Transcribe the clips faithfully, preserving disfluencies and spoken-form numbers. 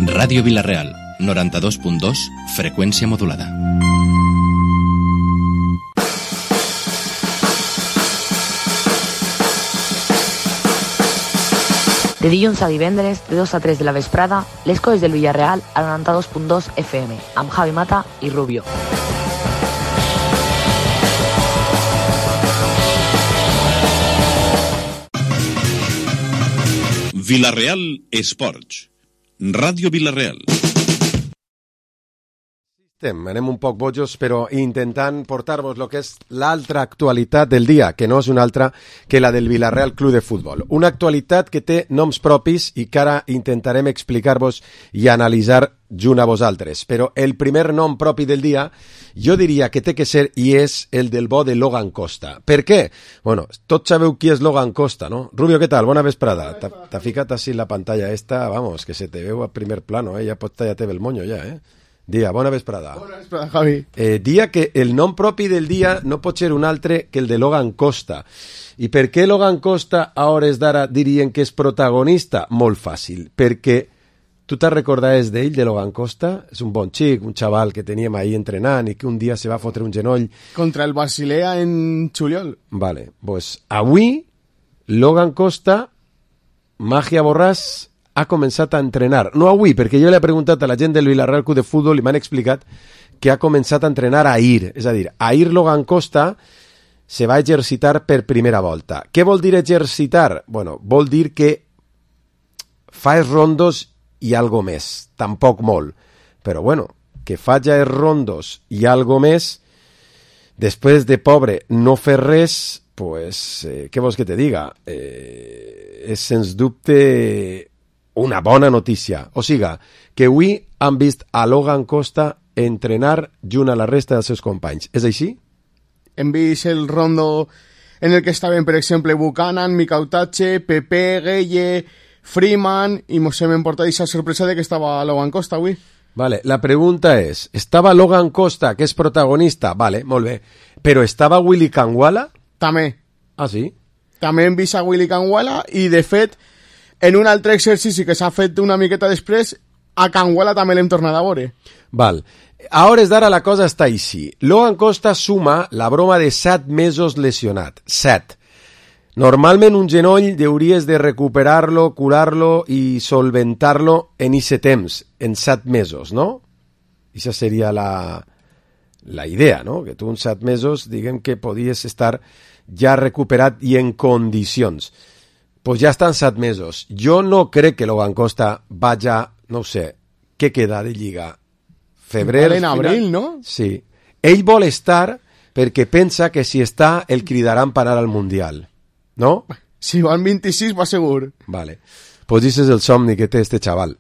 Ràdio Vila-real, noranta-dos punt dos, freqüència modulada. De dilluns a divendres, de dos a tres de la vesprada, les coses del Villarreal a noranta-dos punt dos F M, amb Javi Mata i Rubio. Vila-real Esports. Ràdio Vila-real. Estem, anem un poc bojos, però intentant portar-vos el que és l'altra actualitat del dia, que no és una altra que la del Villarreal Club de Futbol. Una actualitat que té noms propis i que ara intentarem explicar-vos i analitzar junt a vosaltres. Però el primer nom propi del dia, jo diria que té que ser i és el del bo de Logan Costa. Per què? Bueno, tots sabeu qui és Logan Costa, no? Rubio, què tal? Bona vesprada. T'ha ficat així la pantalla esta, vamos, que se te veu a primer plano, eh? Ja pots tallar-te el moño, ja, eh? Dia, bona vesprada. Bona vesprada, Javi. Eh, dia que el nom propi del dia no pot ser un altre que el de Logan Costa. I per què Logan Costa a hores d'ara dirien que és protagonista? Molt fàcil, perquè tu te'n recordaves d'ell, de Logan Costa? És un bon xic, un xaval que teníem ahí entrenant i que un dia se va fotre un genoll. Contra el Basilea en juliol. Vale, pues avui Logan Costa, Màgia Borràs, ha començat a entrenar. No avui, perquè jo li he preguntat a la gent del Villarreal Club de Futbol i m'han explicat que ha començat a entrenar ahir. És a dir, ahir Logan Costa se va exercitar per primera volta. Què vol dir exercitar? Bueno, vol dir que fa els rondos i algo més. Tampoc molt. Però bueno, que faja els rondos i algo més, després de pobre no fer res, pues, eh, què vols que te diga? Eh, és sens dubte una bona notícia. O siga, que avui han vist a Logan Costa entrenar junt a la resta dels seus companys. És així? Hem vist el rondo en el que estaven, per exemple, Buchanan, Micautache, Pepe, Gueye, Freeman, i mos hem emportat aquesta sorpresa de que estava Logan Costa avui. Vale, la pregunta és, estava Logan Costa, que és protagonista? Vale, molt bé. Però estava Willy Kangwala? També. Ah, sí? També hem vist a Willy Kangwala i, de fet, en un altre exercici que s'ha fet una miqueta després, a Kangwala també l'hem tornat a veure. Val. A hores d'ara la cosa està així. Logan Costa suma la broma de set mesos lesionat. Set. Normalment un genoll hauries de recuperar-lo, curar-lo i solventar-lo en ixe temps, en set mesos, no? Ixa seria la, la idea, no? Que tu en set mesos, diguem que podies estar ja recuperat i en condicions. Pues ja estan set mesos. Jo no crec que Logan Costa vaja, no sé, què queda de Lliga? Febrer... En abril, no? Sí. Ell vol estar perquè pensa que si està el cridaran per anar al Mundial. No? Si van vint-i-sis va segur. Vale. Pues this és el somni que té este xaval.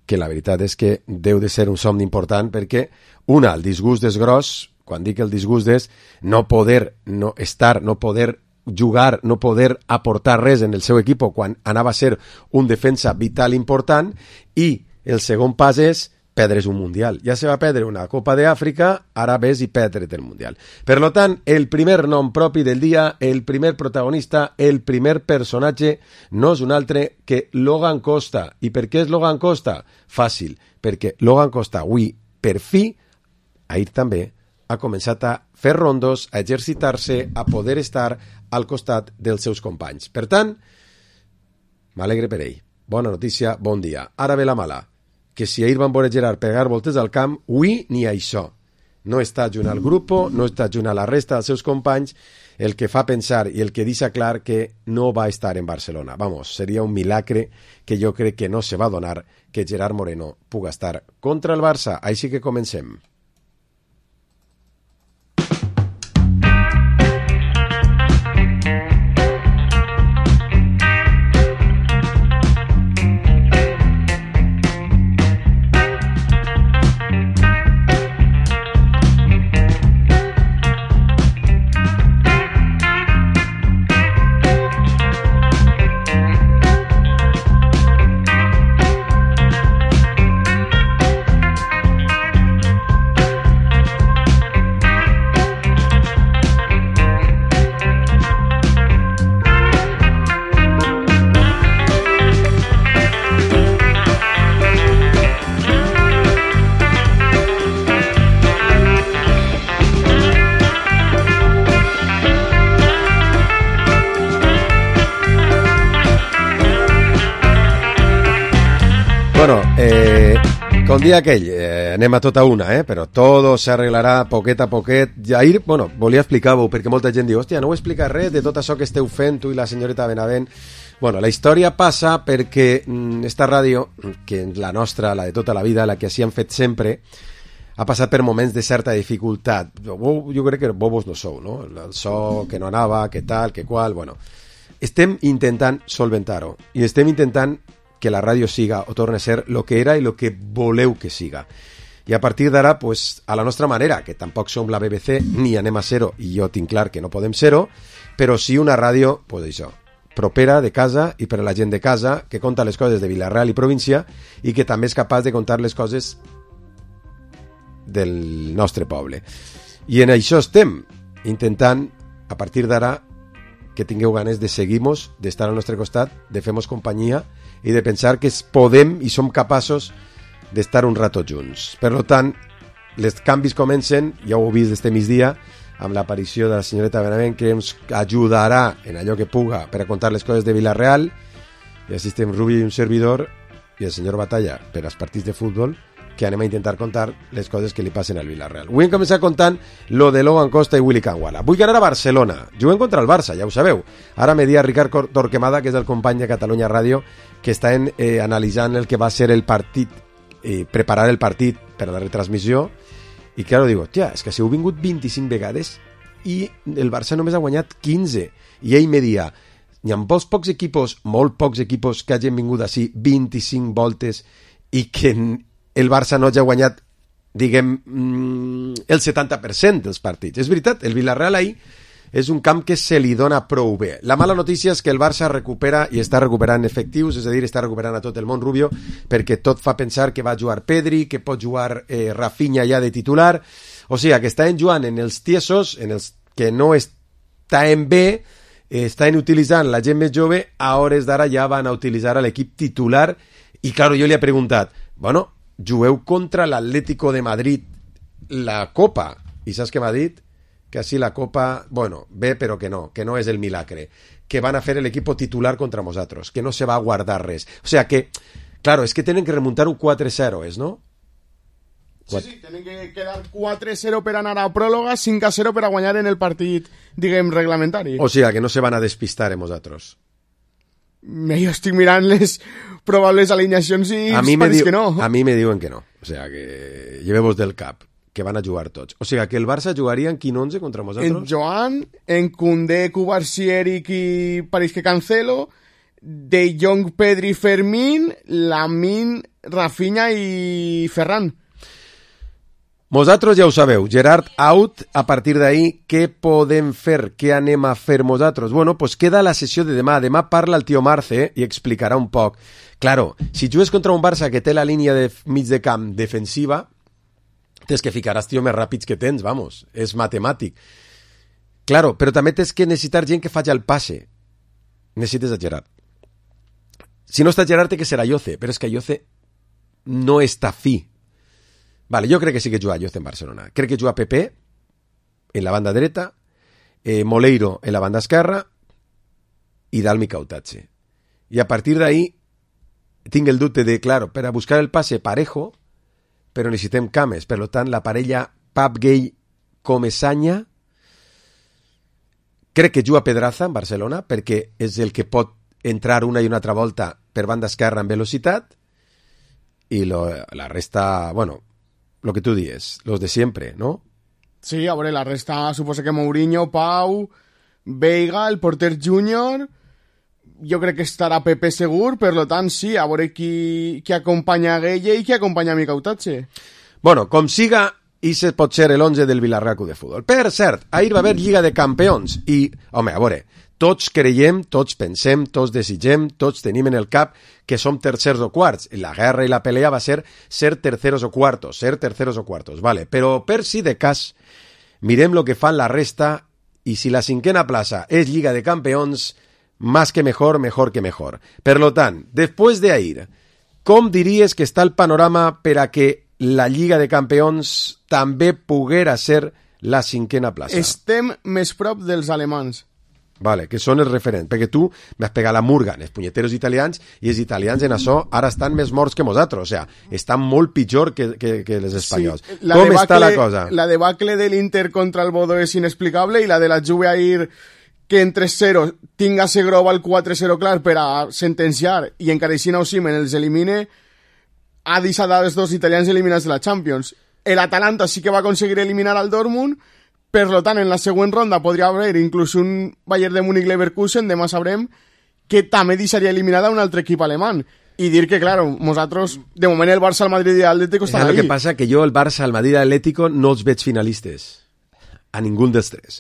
Que la veritat és que deu de ser un somni important perquè, una, el disgust és gros. Quan dic el disgust és no poder no estar, no poder jugar, no poder aportar res en el seu equip quan anava a ser un defensa vital important, i el segon pas és perdre's un Mundial. Ja se va perdre una Copa d'Àfrica, ara ves i perdre't el Mundial. Per lo tant, el primer nom propi del dia, el primer protagonista, el primer personatge, no és un altre que Logan Costa. I per què és Logan Costa? Fàcil, perquè Logan Costa avui, per fi, ahir també, ha començat a fer rondos, a exercitar-se, a poder estar al costat dels seus companys. Per tant, m'alegre per ell. Bona notícia, bon dia. Ara ve la mala, que si ahir van veure Gerard pegar voltes al camp, avui ni això. No està junt al grup, no està junt a la resta dels seus companys, el que fa pensar i el que deixa clar que no va estar en Barcelona. Vamos, seria un milagre que jo crec que no se va donar que Gerard Moreno puga estar contra el Barça. Així que comencem. Bueno, eh, com dia aquell, eh, anem a tota una, eh? Però todo s'arreglarà poquet a poquet. Ahir, bueno, volia explicar-ho, perquè molta gent diu, hòstia, no heu explicat res de tot això que esteu fent, tu i la senyoreta Benavent. Bueno, la història passa perquè mm, esta ràdio, que la nostra, la de tota la vida, la que així han fet sempre, ha passat per moments de certa dificultat. Jo, jo crec que bobos no sou, no? El so que no anava, que tal, que qual, bueno. Estem intentant solventar-ho i estem intentant que la ràdio siga o torni a ser el que era i el que voleu que siga. I a partir d'ara, pues, a la nostra manera, que tampoc som la B B C ni anem a ser-ho, i jo tinc clar que no podem ser-ho, però sí una ràdio, pues això, propera de casa i per a la gent de casa, que conta les coses de Vila-real i província i que també és capaç de contar les coses del nostre poble. I en això estem intentant, a partir d'ara, que tingueu ganes de seguir-nos, d'estar al nostre costat, de fer-nos companyia i de pensar que podem i som capaços d'estar un rato junts. Per tant, els canvis comencen, ja ho heu vist este migdia, amb l'aparició de la senyoreta Benavent, que ens ajudarà en allò que puga per a contar les coses de Vila-real, i així estem Rubi i un servidor, i el senyor Batalla per als partits de futbol, que anem a intentar contar les coses que li passen al Vila-real. Vull començar contant lo de Logan Costa i Willy Canguala. Vull anar a Barcelona. Juguem contra el Barça, ja ho sabeu. Ara me dia Ricard Torquemada, que és el company de Catalunya Ràdio, que està en, eh, analitzant el que va ser el partit, eh, preparar el partit per a la retransmissió, i claro, digo, tia, és que si heu vingut vint-i-cinc vegades i el Barça només ha guanyat quinze. I ell me dia, hi ha pocs, pocs equipos, molt pocs equipos que hagin vingut així vint-i-cinc voltes i que el Barça no hagi guanyat, diguem, el setanta per cent dels partits. És veritat, el Vila-real ahir és un camp que se li dona prou bé. La mala notícia és que el Barça recupera i està recuperant efectius, és a dir, està recuperant a tot el món Rubio, perquè tot fa pensar que va jugar Pedri, que pot jugar eh, Rafinha ja de titular, o sigui, que estan jugant en els tiesos, en els que no estan bé, eh, estan utilitzant la gent més jove, a hores d'ara ja van a utilitzar a l'equip titular, i claro, jo li he preguntat, bueno, jugueu contra l'Atlético de Madrid la Copa, i saps què m'ha dit? Que així la Copa, bueno, bé però que no, que no és el milagre, que van a fer l'equip titular contra nosaltres, que no se va a guardar res. O sea que, claro, es que tenen que remuntar un quatre cero, ¿es, no? Sí, sí, tenen que quedar quatre cero per anar a pròrroga, cinc a zero per a guanyar en el partit, diguem, reglamentari. O sea que no se van a despistar en nosaltres. Jo estic mirant les probables alineacions i a mi me pareix diu, que no. A mi me diuen que no. O sea que llevemos del cap, que van a jugar tots. O sea que el Barça jugaria en quin onze contra nosaltres? En Joan, en Koundé, Cubarsí, Eric i pareix que Cancelo, De Jong, Pedri, Fermín, Lamine, Rafinha i Ferran. Vosaltres ja ho sabeu, Gerard out, a partir d'ahí, què podem fer? Què anem a fer vosaltres? Bueno, pues queda la sessió de demà. Demà parla el tio Marce i explicarà un poc. Claro, si jugues contra un Barça que té la línia de mig de camp defensiva, tens que ficar els tios més ràpids que tens, vamos, és matemàtic. Claro, però també tens que necessitar gent que faci el passe. Necessites a Gerard. Si no està Gerard, té que ser a Yoce, però és que Yoce no està fi. Vale, jo crec que sí que juga Yoce en Barcelona. Crec que juga Pepe en la banda dreta, eh, Moleiro en la banda esquerra i Dalmi Cautache. I a partir d'ahí tinc el dubte de, claro, per a buscar el passe parejo, però necessitem cames. Per tant, la parella Pap Gay Comesaña, crec que juga Pedraza en Barcelona, perquè és el que pot entrar una i una altra volta per banda esquerra en velocitat, i lo, la resta, bueno, lo que tú dices, los de siempre, ¿no? Sí, a veure, la resta suposa que Mourinho, Pau, Veiga, el porter júnior, jo crec que estarà Pepe segur, per lo tant, sí, a veure qui, qui acompanya a Gueye i qui acompanya a Micautache. Bueno, com siga, i se pot ser l'onze del Vila-real Club de Futbol. Per cert, ahir va haver Lliga de Campions i, home, a veure, tots creiem, tots pensem, tots desitgem, tots tenim en el cap que som tercers o quarts. La guerra i la pelea va ser ser terceros o cuartos, ser terceros o cuartos, vale. Però per si de cas, mirem lo que fan la resta i si la cinquena plaça és Lliga de Campeons, más que mejor, mejor que mejor. Per lo tant, després de ahir, com diries que està el panorama per a que la Lliga de Campeons també poguera ser la cinquena plaça? Estem més prop dels alemans. Vale, que són els referents, perquè tu m'has pegat la murga en els punyeteros italians i els italians en això ara estan més morts que nosaltres, o sea, estan molt pitjor que, que, que els espanyols. Sí, com debacle, està la cosa? La debacle de l'Inter contra el Bodo és inexplicable i la de la Juve ahir que en tres cero tinga Segrova el quatre cero clar per a sentenciar i encara així Osimhen els elimine ha deixat els dos italians eliminats de la Champions. L'Atalanta sí que va aconseguir eliminar al Dortmund. Per tant, en la següent ronda podria haver inclús un Bayern de Múnich-Leverkusen, demà sabrem, que també deixaria eliminada un altre equip alemany. I dir que, claro, nosaltres, de moment el Barça, el Madrid i l'Atlético estan ahí. El que passa que jo, el Barça, el Madrid i l'Atlético no els veig finalistes. A ningú dels tres.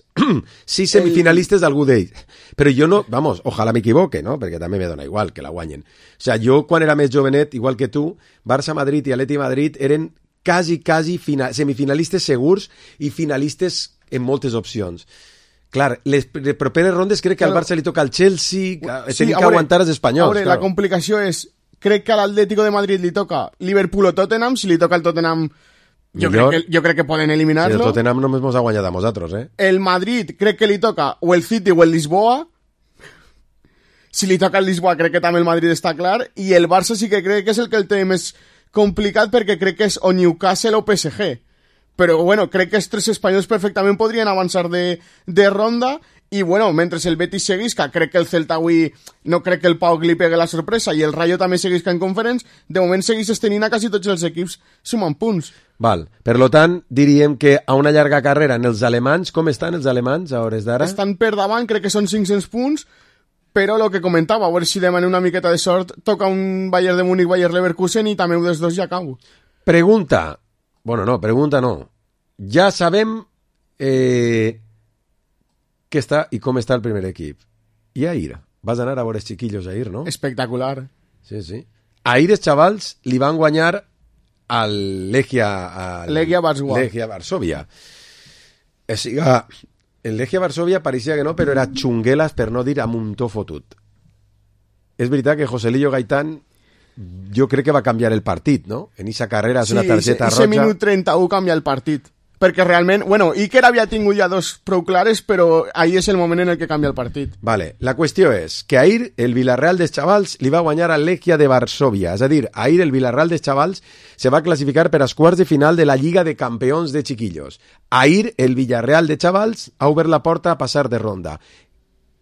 Sí semifinalistes d'algú d'ells. Però jo no, vamos, ojalà m'equivoque, no? Perquè també me dona igual que la guanyen. O sea, jo, quan era més jovenet, igual que tu, Barça, Madrid i Atleti Madrid eren quasi, quasi final, semifinalistes segurs i finalistes en moltes opcions. Clar, les properes rondes crec que al Barça li toca al Chelsea, sí, tenim que veure, aguantar els espanyols. Veure, la complicació és, crec que a l'Atlético de Madrid li toca Liverpool o Tottenham, si li toca el Tottenham jo crec, que, jo crec que poden eliminar-lo. Si el Tottenham només mos ha guanyat a nosaltres, eh? El Madrid crec que li toca o el City o el Lisboa. Si li toca el Lisboa crec que també el Madrid està clar, i el Barça sí que crec que és el que el té més complicat perquè crec que és o Newcastle o P S G. Però, bueno, crec que els tres espanyols perfectament podrien avançar de, de ronda i, bueno, mentre el Betis seguisca, crec que el Celta avui no crec que el Pau li pegui la sorpresa i el Rayo també seguisca en conference, de moment seguís tenint a quasi tots els equips sumant punts. Val, per lo tant, diríem que a una llarga carrera en els alemanys, com estan els alemanys a hores d'ara? Estan per davant, crec que són cinc-cents punts, però el que comentava, a veure si demà una miqueta de sort toca un Bayern de Múnich, Bayern Leverkusen i també un dels dos ja acabo. Pregunta. Bueno, no, pregunta no. Ja sabem eh, què està i com està el primer equip. I ahir? Vas anar a veure els chiquillos ahir, no? Espectacular. Sí, sí. Ahir els xavals li van guanyar al Legia... Al Legia Varsovia. Legia Varsovia. O sigui, el Legia Varsovia pareixia que no, però era xunguelas, per no dir amb un to fotut. És veritat que Joselillo Gaitán jo crec que va canviar el partit, no? En aquesta carrera és sí, una targeta roja. Sí, ese minut trenta-u canvia el partit. Perquè realment, bueno, Iker havia tingut ja dos prou clares, però ahí és el moment en el que canvia el partit. Vale, la qüestió és que ahir el Villarreal dels xavals li va guanyar al Legia de Varsovia. És a dir, ahir el Villarreal dels xavals se va classificar per als quarts de final de la Lliga de Campeons de Chiquillos. Ahir el Villarreal de xavals ha obert la porta a passar de ronda.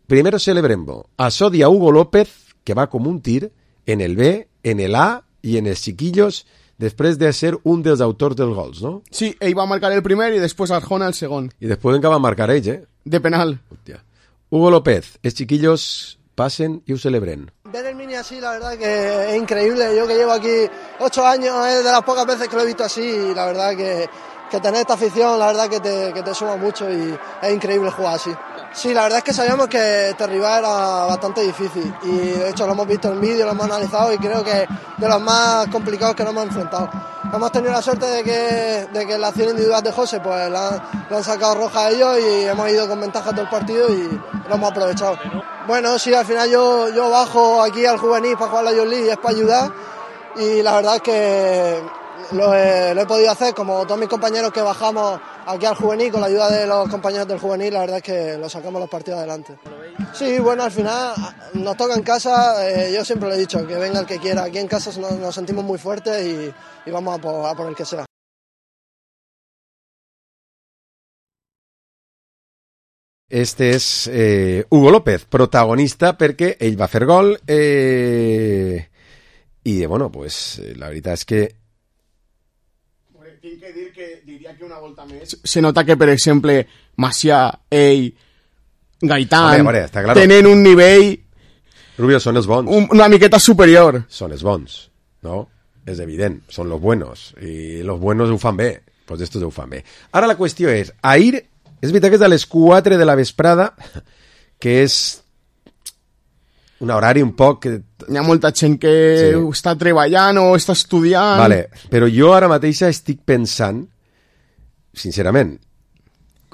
Primero celebrembo. A Sodia Hugo López, que va com un tir en el B, en el A i en els chiquillos després de ser un dels autors dels gols, no? Sí, ell va marcar el primer i després Arjona el segon. I després encara va marcar ells, eh? De penal. Hòstia. Hugo López, els chiquillos pasen y lo celebren. Ver el Mini así, la verdad que es increíble. Yo que llevo aquí ocho años, es de las pocas veces que lo he visto así y la verdad que, que tener esta afición, la verdad que te, que te suma mucho y es increíble jugar así. Sí, la verdad es que sabíamos que este rival era bastante difícil y de hecho lo hemos visto en vídeo, lo hemos analizado y creo que de los más complicados que nos hemos enfrentado. Hemos tenido la suerte de que, de que la acción individual de José pues la, la han sacado roja a ellos y hemos ido con ventaja todo el partido y lo hemos aprovechado. Bueno, sí, al final yo, yo bajo aquí al juvenil para jugar la Youth League y es para ayudar y la verdad es que lo he, lo he podido hacer como todos mis compañeros que bajamos aquí al juvenil con la ayuda de los compañeros del juvenil, la verdad es que lo sacamos los partidos adelante. Sí, bueno, al final nos toca en casa, eh, yo siempre lo he dicho, que venga el que quiera, aquí en casa nos, nos sentimos muy fuertes y, y vamos a por, a por el que sea. Este és eh, Hugo López, protagonista perquè ell va fer gol eh, i bueno, pues la veritat és que tinc que dir que diria que una volta més se nota que, per exemple, Macià, ell, Gaitán, Home, claro. tenen un nivell Rubio, són els bons. Un, una miqueta superior. Són els bons, no? És evident, són los buenos. I los buenos ho fan bé. Pues estos ho fan bé. Ara la qüestió és, ahir, és veritat que és a les quatre de la vesprada, que és un horari un poc... Que... Hi ha molta gent que sí. està treballant o està estudiant... Vale, però jo ara mateix estic pensant, sincerament,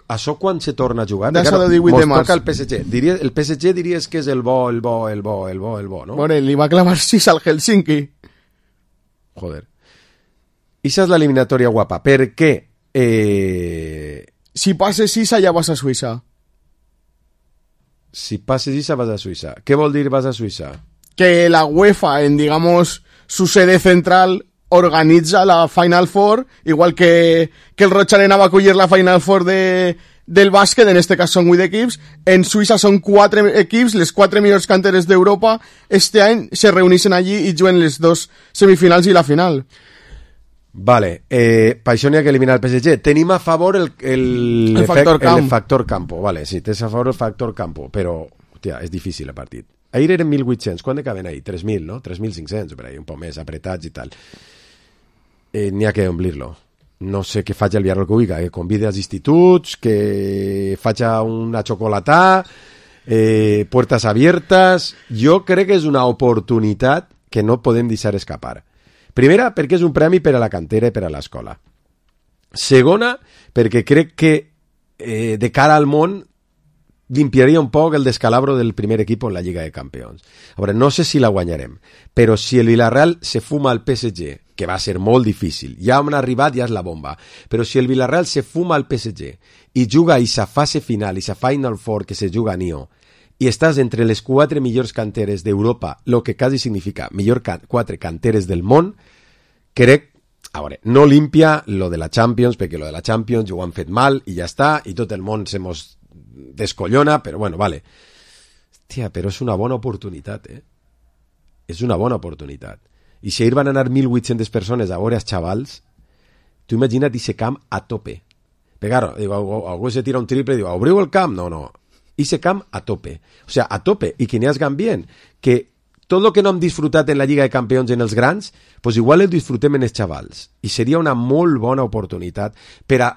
això quan se torna a jugar... D'això de divuit de març. Toca el P S G. Diria, el P S G diries que és el bo, el bo, el bo, el bo, el bo, no? Bueno, li va clavar sis al Helsinki. Joder. Ixa és l'eliminatòria guapa. Per què? Eh... Si passes sis, allà vas a Suïssa. Si passes Isa, vas a Suïssa. Què vol dir vas a Suïssa? Que la UEFA, en, digamos, su sede central, organitza la Final Four, igual que, que el Roig Arena va acollir la Final Four de, del bàsquet, en este cas són vuit equips, en Suïssa són quatre equips, les quatre millors canteres d'Europa, este any se reuneixen allí i juguen les dos semifinals i la final. Vale, eh, per això n'hi ha que eliminar el P S G. Tenim a favor el, el, el, factor, efect, camp. el factor campo. Vale, sí, tens a favor el factor campo, però, hòstia, és difícil el partit. Ahir eren mil vuit-cents, quan acaben ahir? tres mil, no? tres mil cinc-cents, per ahí, un poc més apretats i tal. Eh, n'hi ha que omplir-lo. No sé què faig el Villarreal que vulgui, que convide als instituts, que faig una xocolatà, eh, puertas abiertas. Jo crec que és una oportunitat que no podem deixar escapar. Primera, perquè és un premi per a la cantera i per a l'escola. Segona, perquè crec que eh, de cara al món limpiaria un poc el descalabro del primer equip en la Lliga de Campions. A veure, no sé si la guanyarem, però si el Villarreal se fuma al P S G, que va ser molt difícil, ja han arribat, ja és la bomba, però si el Villarreal se fuma al P S G i juga a aquesta fase final, a aquesta Final Four que se juga a Nio, i estàs entre les quatre millors canteres d'Europa, el que quasi significa millor ca- quatre canteres del món, crec, a veure, no limpia lo de la Champions, perquè lo de la Champions ja ho han fet mal i ja està, i tot el món se mos descollona, però bueno, vale. Hòstia, però és una bona oportunitat, eh? És una bona oportunitat. I si ahir van anar mil vuit-centes persones a veure els xavals, tu imagina't ese camp a tope. Però claro, digo, algú se tira un triple i diu, obriu el camp? No, no. Ese camp a tope. O sea, a tope. I que n'hi has bien. Que tot el que no hem disfrutat en la Lliga de Campions en els grans, pues igual el disfrutem en els xavals. I seria una molt bona oportunitat per a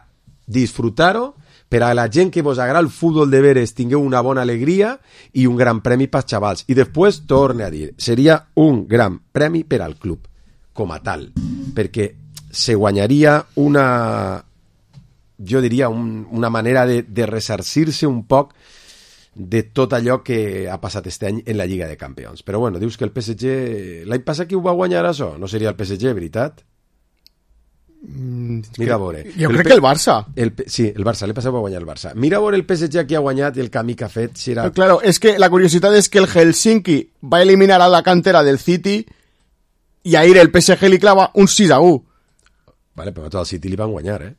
disfrutar-ho, per a la gent que vos agrada el futbol de veres tingueu una bona alegria i un gran premi pels xavals. I després, torne a dir, seria un gran premi per al club, com a tal, perquè se guanyaria una, jo diria, un, una manera de, de ressarcir-se un poc de tot allò que ha passat este any en la Lliga de Campions. Però bueno, dius que el P S G... L'any passat qui ho va guanyar això? No seria el P S G, veritat? Mm, Mira a veure. Jo el crec P... que el Barça. El P... Sí, el Barça, l'he passat va guanyar el Barça. Mira a veure el P S G que ha guanyat i el camí que ha fet. Si era... Pero claro, es que la curiosidad es que el Helsinki va a eliminar a la cantera del City y ahir el P S G li clava un sis a u. Vale, però tot el City li van guanyar, eh?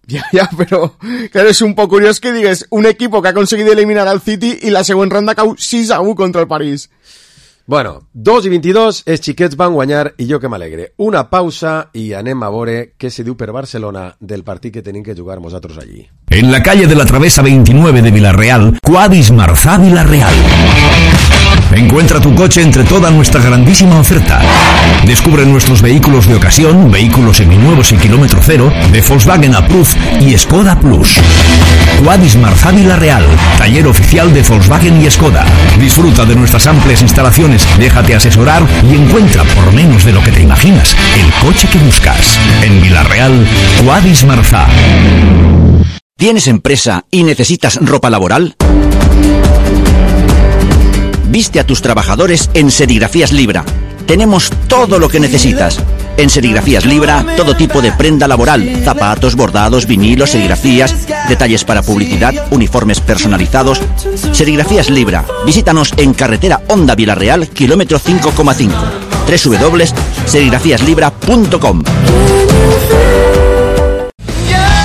Ya, ya, pero claro, es un poco curioso que digas un equipo que ha conseguido eliminar al City y la segunda ronda cau sis a u contra el París. Bueno, dos i vint-i-dos, els xiquets van guanyar i jo que m'alegre. Una pausa i anem a veure què se diu per Barcelona del partit que tenim que jugar nosaltres allí. En la calle de la Travesa veintinueve de Villarreal, Quadis Marzá Villarreal. Encuentra tu coche entre toda nuestra grandísima oferta. Descubre nuestros vehículos de ocasión, vehículos seminuevos y kilómetro cero, de Volkswagen Approved y Skoda Plus. Quadis Marzá Villarreal, taller oficial de Volkswagen y Skoda. Disfruta de nuestras amplias instalaciones, déjate asesorar y encuentra por menos de lo que te imaginas el coche que buscas. En Villarreal, Quadis Marzá. ¿Tienes empresa y necesitas ropa laboral? Viste a tus trabajadores en Serigrafías Libra. Tenemos todo lo que necesitas. En Serigrafías Libra, todo tipo de prenda laboral, zapatos, bordados, vinilos, serigrafías, detalles para publicidad, uniformes personalizados. Serigrafías Libra. Visítanos en carretera Honda Villarreal, kilómetro cinco coma cinco. doble u doble u doble u punto serigrafías libra punto com.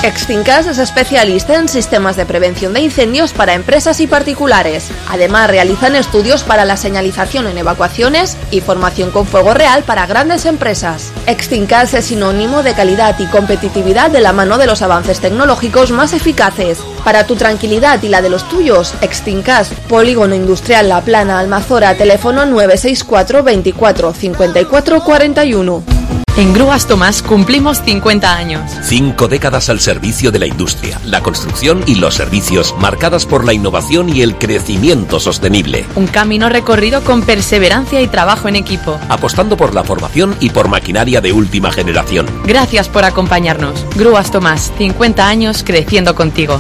Extincas es especialista en sistemas de prevención de incendios para empresas y particulares. Además, realizan estudios para la señalización en evacuaciones y formación con fuego real para grandes empresas. Extincas es sinónimo de calidad y competitividad de la mano de los avances tecnológicos más eficaces. Para tu tranquilidad y la de los tuyos, Extincas, Polígono Industrial La Plana, Almazora, teléfono nueve seis cuatro veinticuatro cincuenta y cuatro cuarenta y uno. En Grúas Tomás cumplimos cincuenta años. Cinco décadas al servicio de la industria, la construcción y los servicios, marcadas por la innovación y el crecimiento sostenible. Un camino recorrido con perseverancia y trabajo en equipo. Apostando por la formación y por maquinaria de última generación. Gracias por acompañarnos. Grúas Tomás, cincuenta años creciendo contigo.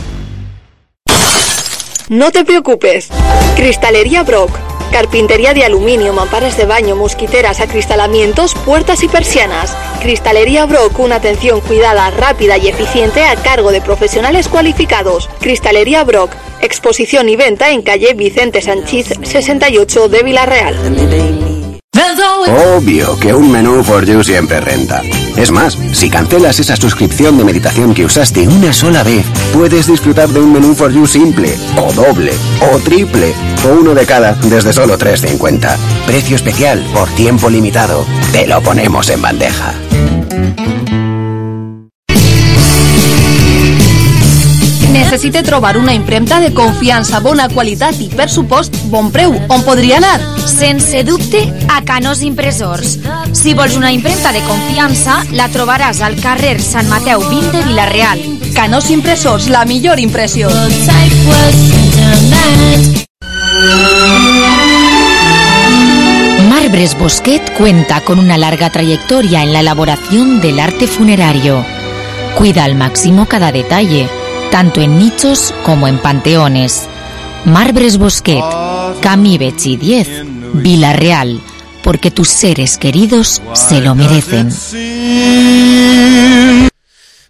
No te preocupes. Cristalería Brock. Carpintería de aluminio, mamparas de baño, mosquiteras, acristalamientos, puertas y persianas. Cristalería Brock, una atención cuidada, rápida y eficiente a cargo de profesionales cualificados. Cristalería Brock, exposición y venta en calle Vicente Sanchís sesenta y ocho de Villarreal. Obvio que un menú for you siempre renta. Es más, si cancelas esa suscripción de meditación que usaste una sola vez, puedes disfrutar de un menú for you simple, o doble, o triple, o uno de cada desde solo tres cincuenta. Precio especial por tiempo limitado. Te lo ponemos en bandeja. Necessite trobar una impremta de confiança, bona qualitat i, per supost, bon preu. On podria anar? Sense dubte, a Canós Impressors. Si vols una impremta de confiança, la trobaràs al carrer Sant Mateu vint de Vila-real. Canós Impressors, la millor impressió. Marbres Bosquet cuenta con una larga trayectoria en la elaboración del arte funerario. Cuida al máximo cada detalle, tanto en nichos como en panteones. Marbres Bosquet, Camí Betxí diez, Vila-real, porque tus seres queridos se lo merecen.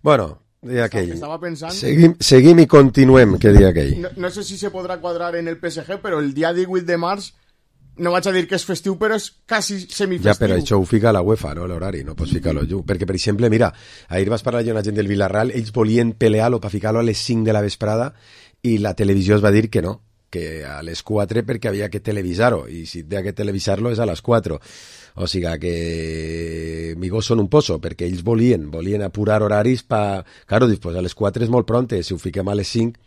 Bueno, dia aquell. Estava pensant... Seguim, seguim i continuem, que dia aquell. No, no sé si se podrà quadrar en el P S G, però el dia divuit de març, no vaig a dir que és festiu, però és quasi semifestiu. Ja, però això ho fica la UEFA, no? L'horari, no pots ficar-lo jo. Perquè, per exemple, mira, ahir vas parlar amb una gent del Villarreal, ells volien pelear-lo per ficar-lo a les cinc de la vesprada i la televisió es va dir que no, que a les quatre perquè havia que televisar-ho, i si havia que televisar-lo és a les quatre. O sigui que mi gos són un pozo, perquè ells volien, volien apurar horaris per... Claro, després a les quatre és molt pronte, si ho fiquem a les cinc,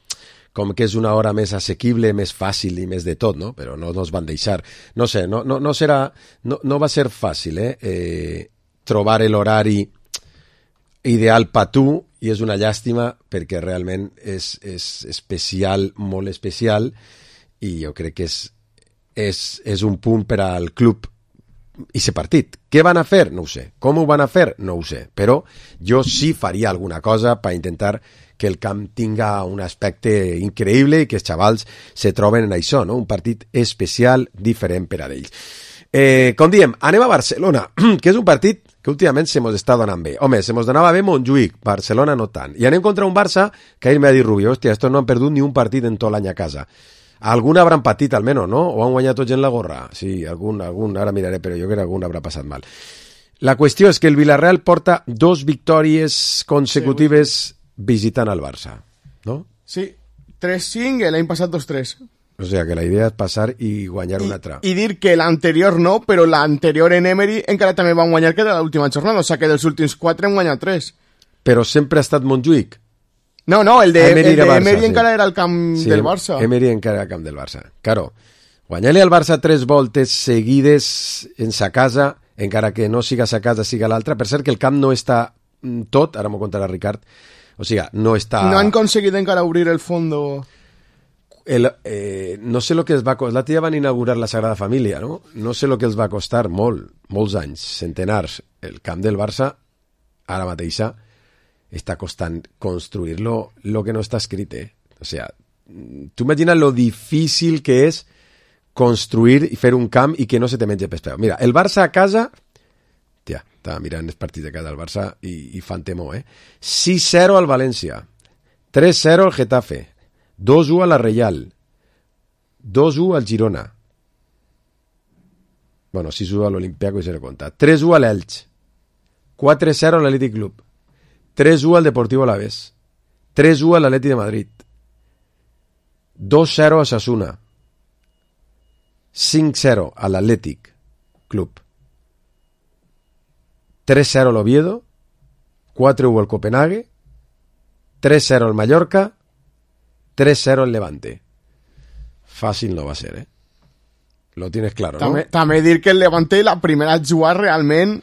com que és una hora més assequible, més fàcil i més de tot, no? Però no nos van deixar. No sé, no, no, no serà... No, no va ser fàcil, eh? eh trobar l'horari ideal per tu, i és una llàstima perquè realment és, és especial, molt especial, i jo crec que és, és, és un punt per al club i ser partit. Què van a fer? No ho sé. Com ho van a fer? No ho sé. Però jo sí faria alguna cosa per intentar que el camp tinga un aspecte increïble i que els xavals se troben en això, no? Un partit especial, diferent per a ells. Eh, com diem, anem a Barcelona, que és un partit que últimament se mos està donant bé. Home, se mos donava bé Montjuïc, Barcelona no tant. I anem contra un Barça que ahir m'ha dit Rubio, hòstia, estos no han perdut ni un partit en tot l'any a casa. Algun hauran patit almenys, no? O han guanyat tots en la gorra? Sí, algun, algun, ara miraré, però jo crec que algun haurà passat mal. La qüestió és que el Villarreal porta dos victòries consecutives sí, visitant al Barça, no? Sí, tres cinc, l'any passat dos tres. O sigui que la idea és passar i guanyar I, una altra. I dir que l'anterior no, però l'anterior en Emery encara també van guanyar que de l'última jornada, o sigui que dels últims quatre han guanyat tres. Però sempre ha estat Montjuïc? No, no, el de Emery, el de Barça, Emery sí. encara era el camp sí, del Barça. Emery encara era el camp del Barça. Claro, guanyar-li al Barça tres voltes seguides en sa casa, encara que no siga sa casa, siga l'altra. Per cert que el camp no està tot, ara m'ho contarà Ricard, o sigui, no està... No han aconseguit encara obrir el fondo... El, eh, no sé el que els va costar. L'altre dia van inaugurar la Sagrada Família, no? No sé el que els va costar molt, molts anys, centenars. El camp del Barça, ara mateixa, està costant construir-lo lo que no està escrit, eh? O sigui, tu imagina lo difícil que és construir i fer un camp i que no se te mengi pes peu. Mira, el Barça a casa... Tia, estava mirant els partits de casa del Barça i, i fan temor, eh? sis zero al València, tres zero al Getafe, dos u a la Reial, dos u al Girona, bueno, sis u a l'Olimpiaco i se le compta, tres u a l'Elx, quatre zero a l'Atlètic Club, tres u al Deportivo Alavés, tres u a l'Atleti de Madrid, dos zero a Sasuna, cinc zero a l'Atlètic Club, tres zero al Oviedo, quatre u al Copenhague, tres zero al Mallorca, tres cero el Levante. Fàcil no va ser, eh? Lo tienes claro, també, no? També dir que el Levante la primera jugada realment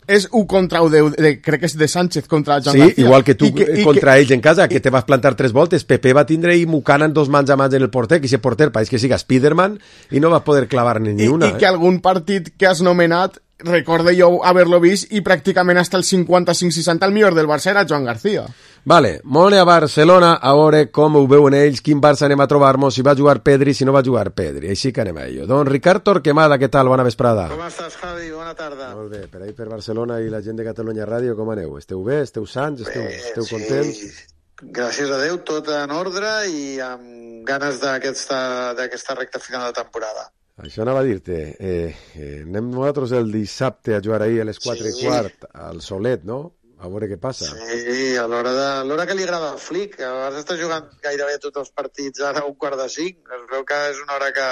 és un contra un de, de, crec que és de Sánchez contra Joan sí, García. Igual que tu I que, i contra que, ells en casa, que te vas plantar tres voltes, Pepe va tindre i Mucana en dos mans a mans en el porter, que si el porter pareix que siga Spiderman i no va poder clavar ni, ni i, una. I eh? que algun partit que has nomenat recordo jo haver-lo vist i pràcticament hasta el cinquanta-cinc seixanta el millor del Barça era Joan García. Vale, molt a Barcelona, a veure com ho veuen ells, quin Barça anem a trobar-nos, si va jugar Pedri, si no va jugar Pedri, així que anem a ello. Don Ricard Torquemada, què tal? Bona vesprada. Com estàs, Javi? Bona tarda. Molt bé, per ahí per Barcelona i la gent de Catalunya Ràdio, com aneu? Esteu bé? Esteu sants? Esteu, bé, esteu sí. contents? Gràcies a Déu, tot en ordre i amb ganes d'aquesta d'aquesta recta final de temporada. Això anava a dir-te, eh, eh, anem nosaltres el dissabte a jugar ahir a les quatre sí. i quart al Solet, no? A veure què passa. Sí, a l'hora de l'hora que li agrada al Flick, que a vegades està jugant gairebé tots els partits ara a un quart de cinc, es veu que és una hora que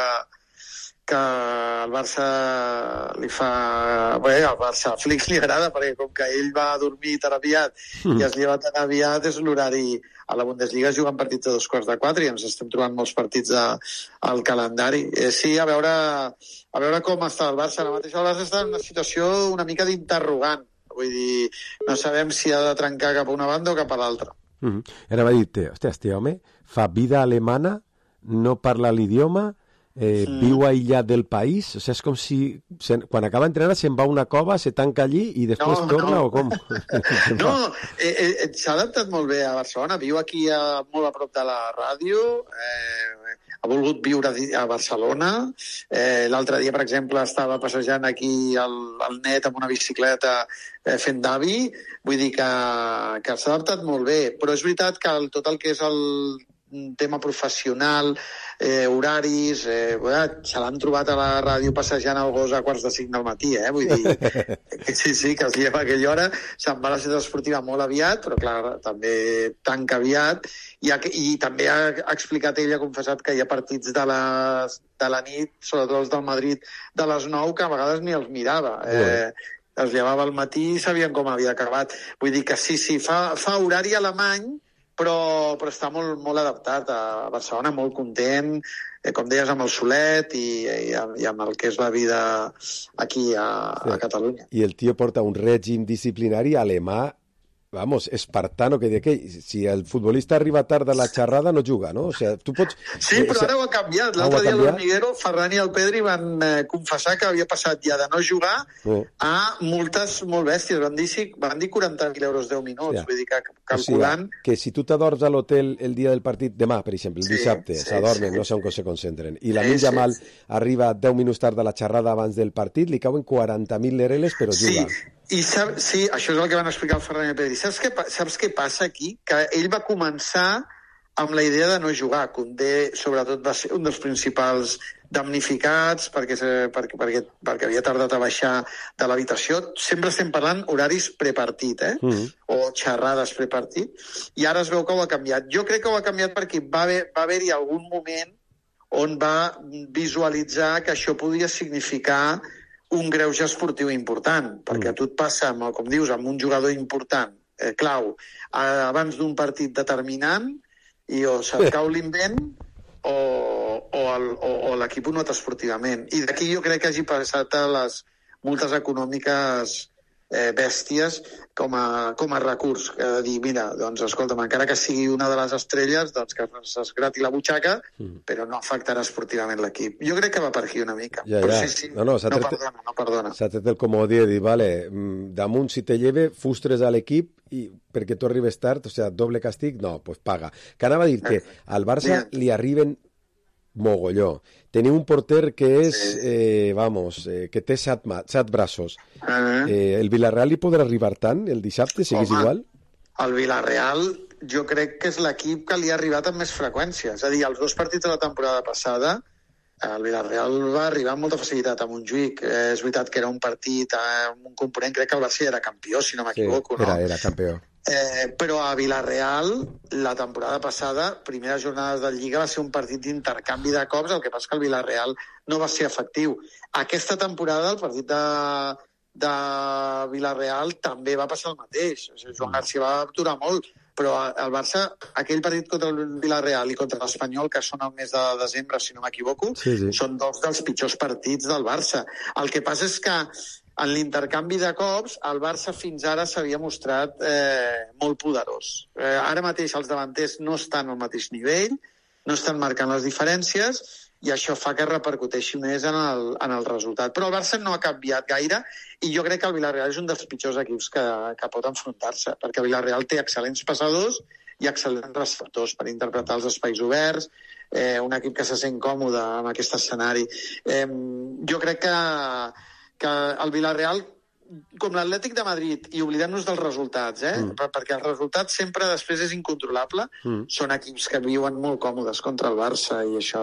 que el Barça li fa... Bé, al Barça, al Flick li agrada, perquè com que ell va dormir tan aviat mm. i es lleva tan aviat, és l'horari... A la Bundesliga es juguen partits de dos quarts de quatre i ens estem trobant molts partits de, al calendari. Eh, sí, a veure, a veure com està el Barça. Ara mateix el Barça està en una situació una mica d'interrogant. Vull dir, no sabem si ha de trencar cap a una banda o cap a l'altra. Mm-hmm. Ara va dir-te, hòstia, este home fa vida alemana, no parla l'idioma, eh, mm. viu aïllat del país, o sigui, és com si se, quan acaba d'entrenar se'n va a una cova, se tanca allí i després no, torna no. o com? No, eh, eh, s'ha adaptat molt bé a Barcelona, viu aquí a, molt a prop de la ràdio, eh, ha volgut viure a Barcelona, eh, l'altre dia, per exemple, estava passejant aquí al, al net amb una bicicleta eh, fent d'avi, vull dir que, que s'ha adaptat molt bé, però és veritat que el, tot el que és el tema professional, eh, horaris, eh, se l'han trobat a la ràdio passejant el gos a quarts de cinc del matí, eh? Vull dir, sí, sí, que es lleva a aquella hora, se'n va a la ciutat esportiva molt aviat, però clar, també tanca aviat, i, ha, i també ha explicat ell, ha confessat que hi ha partits de, les, de la nit, sobretot els del Madrid, de les nou, que a vegades ni els mirava. Eh, es llevava al matí i sabien com havia acabat. Vull dir que sí, sí, fa, fa horari alemany, però, però està molt, molt adaptat a Barcelona, molt content, eh, com deies, amb el Solet i, i, i amb el que és la vida aquí a, a Catalunya. I el tio porta un règim disciplinari alemà, vamos, espartano, que de que si el futbolista arriba tard a la xerrada no juga, no? O sea, tu pots... Sí, però ara ho ha canviat. L'altre dia l'Hormiguero, Ferran i el Pedri van eh, confessar que havia passat ja de no jugar oh. a multes molt bèsties. Van dir, van dir quaranta mil euros deu minuts. Ja. Vull dir que calculant... O sigui, que si tu t'adorms a l'hotel el dia del partit, demà, per exemple, el sí, dissabte, sí, s'adormen, sí. no sé on se concentren, i la sí, Jamal sí. arriba deu minuts tard a la xerrada abans del partit, li cauen quaranta mil lereles, però juga. Sí. I sap, sí, això és el que van explicar el Ferran i el Pedri. Saps què, saps què passa aquí? Que ell va començar amb la idea de no jugar. Condé, sobretot, va ser un dels principals damnificats perquè, perquè, perquè, perquè havia tardat a baixar de l'habitació. Sempre estem parlant horaris prepartit, eh? Mm. O xerrades prepartit. I ara es veu que ho ha canviat. Jo crec que ho ha canviat perquè va haver, va haver-hi algun moment on va visualitzar que això podia significar un greuge esportiu important, perquè a tu et passa, amb, com dius, amb un jugador important, eh, clau, eh, abans d'un partit determinant, i o se't cau l'invent o, o, el, o, o l'equip ho nota esportivament. I d'aquí jo crec que hagi passat a les multes econòmiques eh, bèsties com a, com a recurs, que ha de dir, mira, doncs, escolta'm, encara que sigui una de les estrelles, doncs que es grati la butxaca, mm. però no afectarà esportivament l'equip. Jo crec que va per aquí una mica. Ja, però ja. sí, sí, no, no, no perdona, no perdona. S'ha tret el comodí de dir, vale, damunt si te lleve, fustres a l'equip i perquè tu arribes tard, o sigui, doble càstig, no, pues paga. Que anava a dir que al Barça li arriben mogolló. Teniu un porter que és, sí. eh, vamos, eh, que té set, set braços. Uh-huh. Eh, el Villarreal li podrà arribar tant el dissabte, siguis Home, igual? El Villarreal jo crec que és l'equip que li ha arribat amb més freqüència. És a dir, els dos partits de la temporada passada, el Villarreal va arribar amb molta facilitat a Montjuïc. Eh, és veritat que era un partit amb un component, crec que el Barça era campió, si no m'equivoco. Sí, era, no? era campió. Eh, però a Villarreal, la temporada passada, primeres jornades de Lliga, va ser un partit d'intercanvi de cops, el que passa que el Villarreal no va ser efectiu. Aquesta temporada, el partit de, de Villarreal també va passar el mateix. O sigui, Joan García va aturar molt, però el Barça, aquell partit contra el Villarreal i contra l'Espanyol, que són el mes de desembre, si no m'equivoco, sí, sí. són dos dels pitjors partits del Barça. El que passa és que en l'intercanvi de cops, el Barça fins ara s'havia mostrat eh, molt poderós. Eh, ara mateix els davanters no estan al mateix nivell, no estan marcant les diferències, i això fa que repercuteixi més en el, en el resultat. Però el Barça no ha canviat gaire i jo crec que el Villarreal és un dels pitjors equips que, que pot enfrontar-se, perquè el Villarreal té excel·lents passadors i excel·lents receptors per interpretar els espais oberts, eh, un equip que se sent còmode en aquest escenari. Eh, jo crec que, que el Villarreal, com l'Atlètic de Madrid, i oblidem-nos dels resultats, eh? Mm. perquè el resultat sempre després és incontrolable, mm. són equips que viuen molt còmodes contra el Barça i això,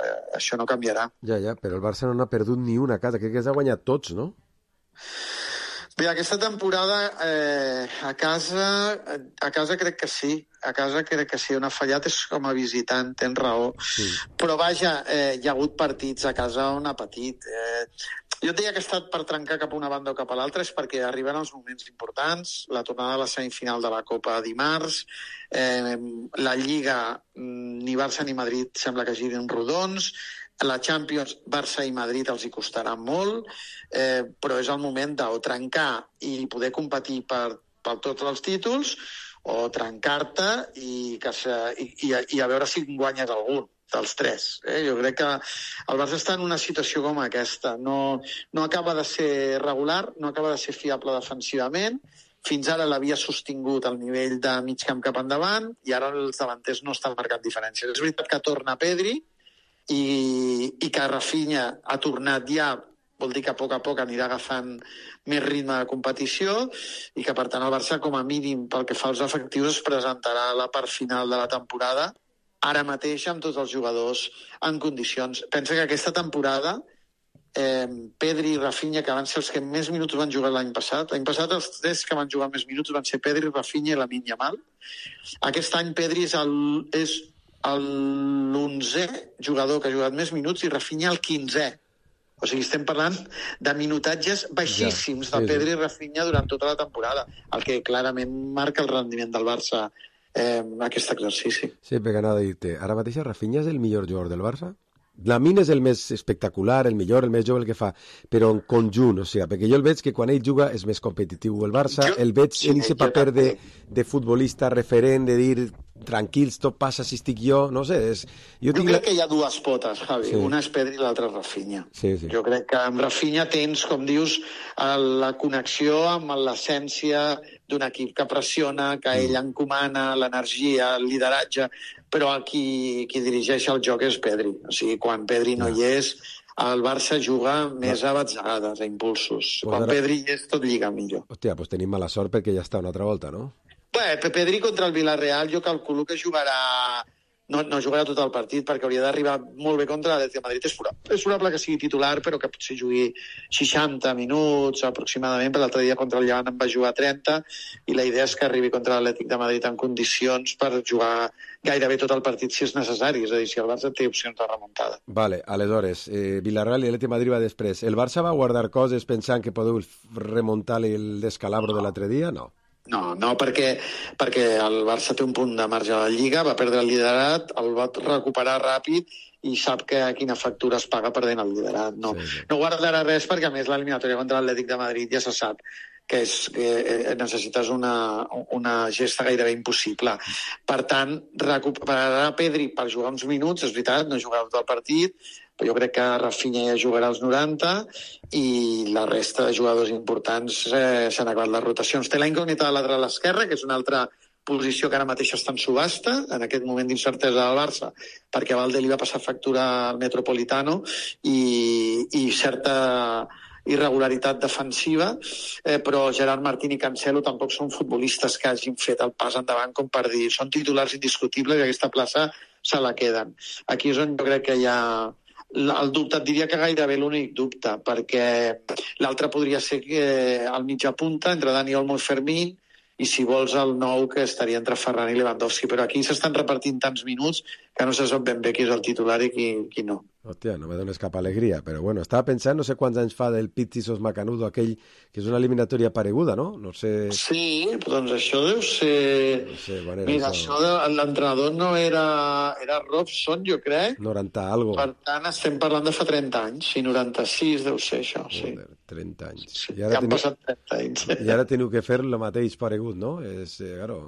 eh, això no canviarà. Ja, ja, però el Barça no n'ha perdut ni una a casa, crec que els ha guanyat tots, no? Bé, aquesta temporada eh, a casa a casa crec que sí, a casa crec que sí, on ha fallat és com a visitant, tens raó, sí. Però vaja, eh, hi ha hagut partits a casa on ha patit. Eh, jo et deia que ha estat per trencar cap a una banda o cap a l'altra, és perquè arriben els moments importants, la tornada a la semifinal de la Copa dimarts, eh, la Lliga, ni Barça ni Madrid sembla que girin rodons, la Champions, Barça i Madrid els hi costarà molt, eh, però és el moment de o trencar i poder competir per, per tots els títols, o trencar-te i, que se, i, i, i a veure si guanyes algun dels tres. Eh? Jo crec que el Barça està en una situació com aquesta. No, no acaba de ser regular, no acaba de ser fiable defensivament, fins ara l'havia sostingut al nivell de mig camp cap endavant i ara els davanters no estan marcant diferències. És veritat que torna Pedri, i, i que Rafinha ha tornat ja, vol dir que a poc a poc anirà agafant més ritme de competició i que per tant el Barça com a mínim pel que fa als efectius es presentarà a la part final de la temporada ara mateix amb tots els jugadors en condicions. Pensa que aquesta temporada eh, Pedri i Rafinha, que van ser els que més minuts van jugar l'any passat, l'any passat els tres que van jugar més minuts van ser Pedri, Rafinha i Lamine Yamal. Aquest any Pedri és el, és l'onzè jugador que ha jugat més minuts i Rafinha el quinzè. O sigui, estem parlant de minutatges baixíssims ja, sí, de Pedri i Rafinha durant tota la temporada, el que clarament marca el rendiment del Barça eh, aquest exercici. Sí, perquè anava a dir-te, ara mateix Rafinha és el millor jugador del Barça? Lamine és el més espectacular, el millor, el més jove, el que fa, però en conjunt, o sigui, perquè jo el veig que quan ell juga és més competitiu el Barça, jo, el veig sí, en aquest paper de, de futbolista referent, de dir tranquils, tot passa si estic jo, no sé. És, jo jo crec la... que hi ha dues potes, Javi, sí. Una és Pedri i l'altra és Rafinha. Sí, sí. Jo crec que amb Rafinha tens, com dius, la connexió amb l'essència d'un equip que pressiona, que ell encomana, l'energia, el lideratge, però qui, qui dirigeix el joc és Pedri. O sigui, quan Pedri no, no. hi és, el Barça juga més no. a batzegades, a impulsos. Pues quan ara... Pedri hi és, tot lliga millor. Hòstia, doncs tenim mala sort perquè ja està una altra volta, no? Bé, Pedri contra el Villarreal jo calculo que jugarà... No, no jugarà tot el partit perquè hauria d'arribar molt bé contra l'Atlètic de Madrid. És probable, és probable que sigui titular, però que potser jugui seixanta minuts aproximadament. Per l'altre dia contra el Llevant en va jugar trenta i la idea és que arribi contra l'Atlètic de Madrid en condicions per jugar gairebé tot el partit si és necessari. És a dir, si el Barça té opcions de remuntada. Vale, aleshores, eh, Villarreal i l'Atlètic de Madrid va després. El Barça va guardar coses pensant que podeu remuntar el descalabro de l'altre dia? No. No, no, perquè, perquè el Barça té un punt de marge a la Lliga, va perdre el liderat, el va recuperar ràpid i sap que quina factura es paga perdent el liderat. No, sí, sí. No guardarà res perquè, a més, l'eliminatòria contra l'Atlètic de Madrid ja se sap que, és, que necessites una, una gesta gairebé impossible. Per tant, recuperarà Pedri per jugar uns minuts, és veritat, no jugarà tot el partit, però jo crec que Rafinha ja jugarà als noranta i la resta de jugadors importants eh, s'han acabat les rotacions. Té la incògnita de lateral esquerra, que és una altra posició que ara mateix està en subhasta, en aquest moment d'incertesa del Barça, perquè Valde li va passar factura al Metropolitano i, i certa irregularitat defensiva, eh, però Gerard Martín i Cancelo tampoc són futbolistes que hagin fet el pas endavant com per dir són titulars indiscutibles i aquesta plaça se la queden. Aquí és on jo crec que hi ha el dubte, et diria que gairebé l'únic dubte, perquè l'altre podria ser que al mitja punta entre Dani Olmo i Fermín, i si vols el nou que estaria entre Ferran i Lewandowski, però aquí s'estan repartint tants minuts que no se sap ben bé qui és el titular i qui, qui no. Hòstia, no me dones cap alegria, però bueno, estava pensant, no sé quants anys fa del Pizzis Macanudo, aquell que és una eliminatòria pareguda, no? No sé... Sí, doncs això deu ser... No sé, bueno, mira, això, això de... l'entrenador no era... era Robson, jo crec. noranta algo. Per tant, estem parlant de fa trenta anys, sí, noranta-sis deu ser això, sí. Joder, trenta anys. Sí, I ara ja han teniu... passat trenta anys. I ara teniu que fer el mateix paregut, no? És, eh, claro...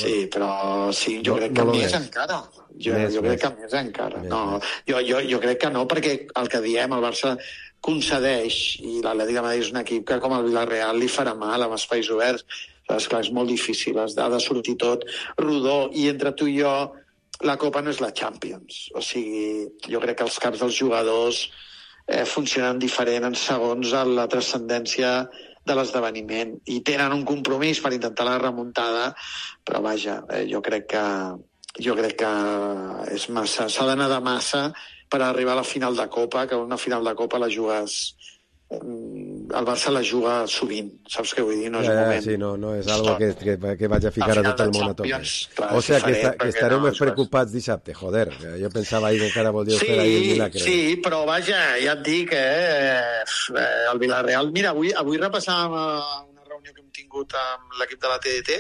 Sí, però sí, jo No- crec no que lo més és. encara. Jo, Més, jo més. crec que més encara. No, jo, jo, jo crec que no, perquè el que diem, el Barça concedeix, i l'Atlètic de Madrid és un equip que com el Villarreal li farà mal amb espais oberts. És clar, és molt difícil, has de, ha de sortir tot rodó, i entre tu i jo la Copa no és la Champions. O sigui, jo crec que els caps dels jugadors eh, funcionen diferent en segons a la transcendència de l'esdeveniment, i tenen un compromís per intentar la remuntada, però vaja, eh, jo crec que jo crec que és massa, s'ha d'anar de massa per arribar a la final de Copa, que una final de Copa la jugues, el Barça la juga sovint, saps què vull dir? No és Ja, ja, moment. sí, no, no és algo que, que, que vaig a ficar Al a final tot el de món a tope. Champions, clar, O és sigui, que, diferent, esta, que perquè estareu no, més és- preocupats dissabte, joder. Jo pensava ahir que encara volíeu Sí, fer ahir el milagre. sí, però vaja, ja et dic, eh, eh, el Villarreal... Mira, avui, avui repassàvem eh, una reunió que hem tingut amb l'equip de la T D T,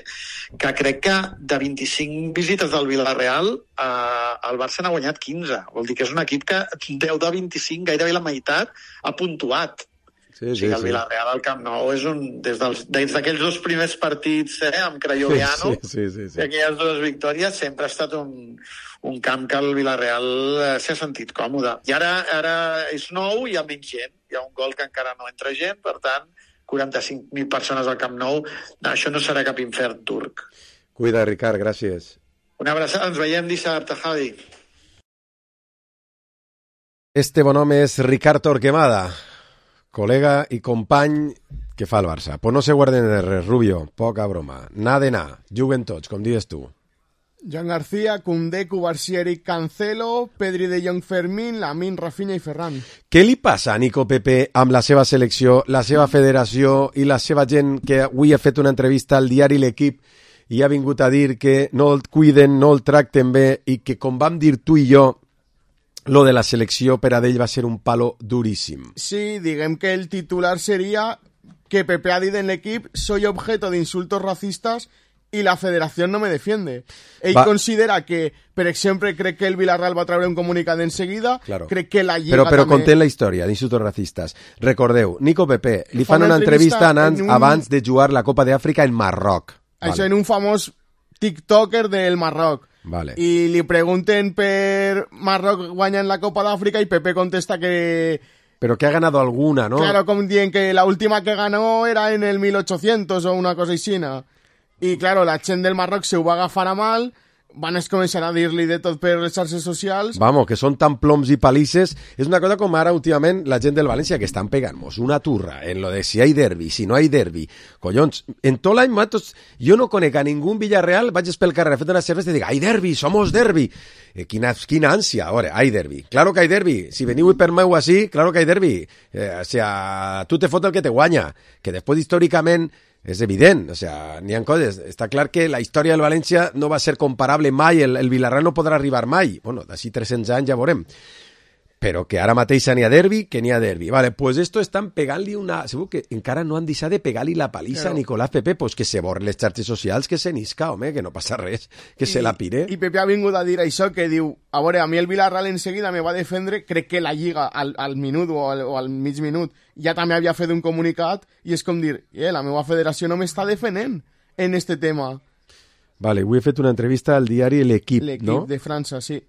que crec que de vint-i-cinc visites del Villarreal eh, el Barça n'ha guanyat quinze. Vol dir que és un equip que deu de vint-i-cinc, gairebé la meitat, ha puntuat. Sí, O sí, sigui, el sí. Villarreal al Camp Nou és un... Des dels- des d'aquells dos primers partits eh, amb Crayoviano, Sí, sí, sí, sí. i aquelles dues victòries, sempre ha estat un, un camp que el Villarreal eh, s'ha sentit còmode. I ara, ara és nou i hi ha menys gent. Hi ha un gol que encara no entra gent, per tant, quaranta-cinc mil persones al Camp Nou. No, això no serà cap infern turc. Cuida, Ricard, gràcies. Una abraçada, ens veiem dissabte, Javi. Este bon home és Ricard Torquemada, col·lega i company que fa el Barça. Pues no se guarden de res, Rubio, poca broma. Na de na, juguen tots, com dius tu. Joan García, Koundé, Cubarsí, Cancelo, Pedri de Jong, Fermín, Lamine, Rafinha i Ferran. Què li passa a Nico Pepe amb la seva selecció, la seva federació i la seva gent que avui ha fet una entrevista al diari L'Equip i ha vingut a dir que no el cuiden, no el tracten bé i que, com vam dir tu i jo, lo de la selecció per a ell va ser un palo duríssim. Sí, diguem que el titular sería que Pepe ha dit en l'equip soy objeto de insultos racistas y la federación no me defiende. Ell Va. considera que, per exemple, crec que el Villarreal va treure un comunicat enseguida, Claro. crec que la Lliga Però, però també... contem la història d'insultos racistes. Recordeu, Nico Pepe li Fa fan una una entrevista entrevista anant, en un- abans de jugar la Copa d'Àfrica en Marroc. Això en un famós tiktoker del Marroc. Vale. I li pregunten per Marroc guanyant la Copa d'Àfrica i Pepe contesta que... Però que ha ganado alguna, ¿no? Claro, como dicen que la última que ganó era en el mil ochocientos o una cosa així. I, claro, la gent del Marroc se ho va agafar a mal, van es començar a dir-li de tot per les xarxes socials. Vamos, que són tan ploms i palisses. És una cosa com ara últimament la gent del València que estan pegant-nos una turra en lo de si hay derbi, si no hay derbi. Collons, en tot l'any, matos, jo no conec a ningú en Villarreal, vaig pel carrer fent una cervesa i dic, hay derbi, somos derbi. Eh, quina, quina ànsia, ahora, hay derbi. Claro que hay derbi. Si veniu per meu així, claro que hay derbi. Eh, o sea, tu te fot el que te guanya. Que després, històricament, és evident, o sea, n'hi ha coses. Està clar que la història del València no va ser comparable mai, el, el Villarreal no podrà arribar mai. Bueno, d'ací tres-cents anys ja veurem. Però que ara mateix n'hi ha derbi, que n'hi ha derbi. Vale, pues esto estan pegant-li una... Segur que encara no han deixat de pegar-li la palissa a Nicolás Pepe, pues que se borren les xarxes socials, que se n'isca, home, que no passa res, que se la pire. I Pepe ha vingut a dir això, que diu, a veure, a mi el Villarreal enseguida me va defendre, crec que la Lliga al, al minut o al, o al mig minut ja també havia fet un comunicat, i és com dir, eh, la meva federació no m'està defendent en este tema. Vale, avui he fet una entrevista al diari L'Equip, L'equip no? de França, sí.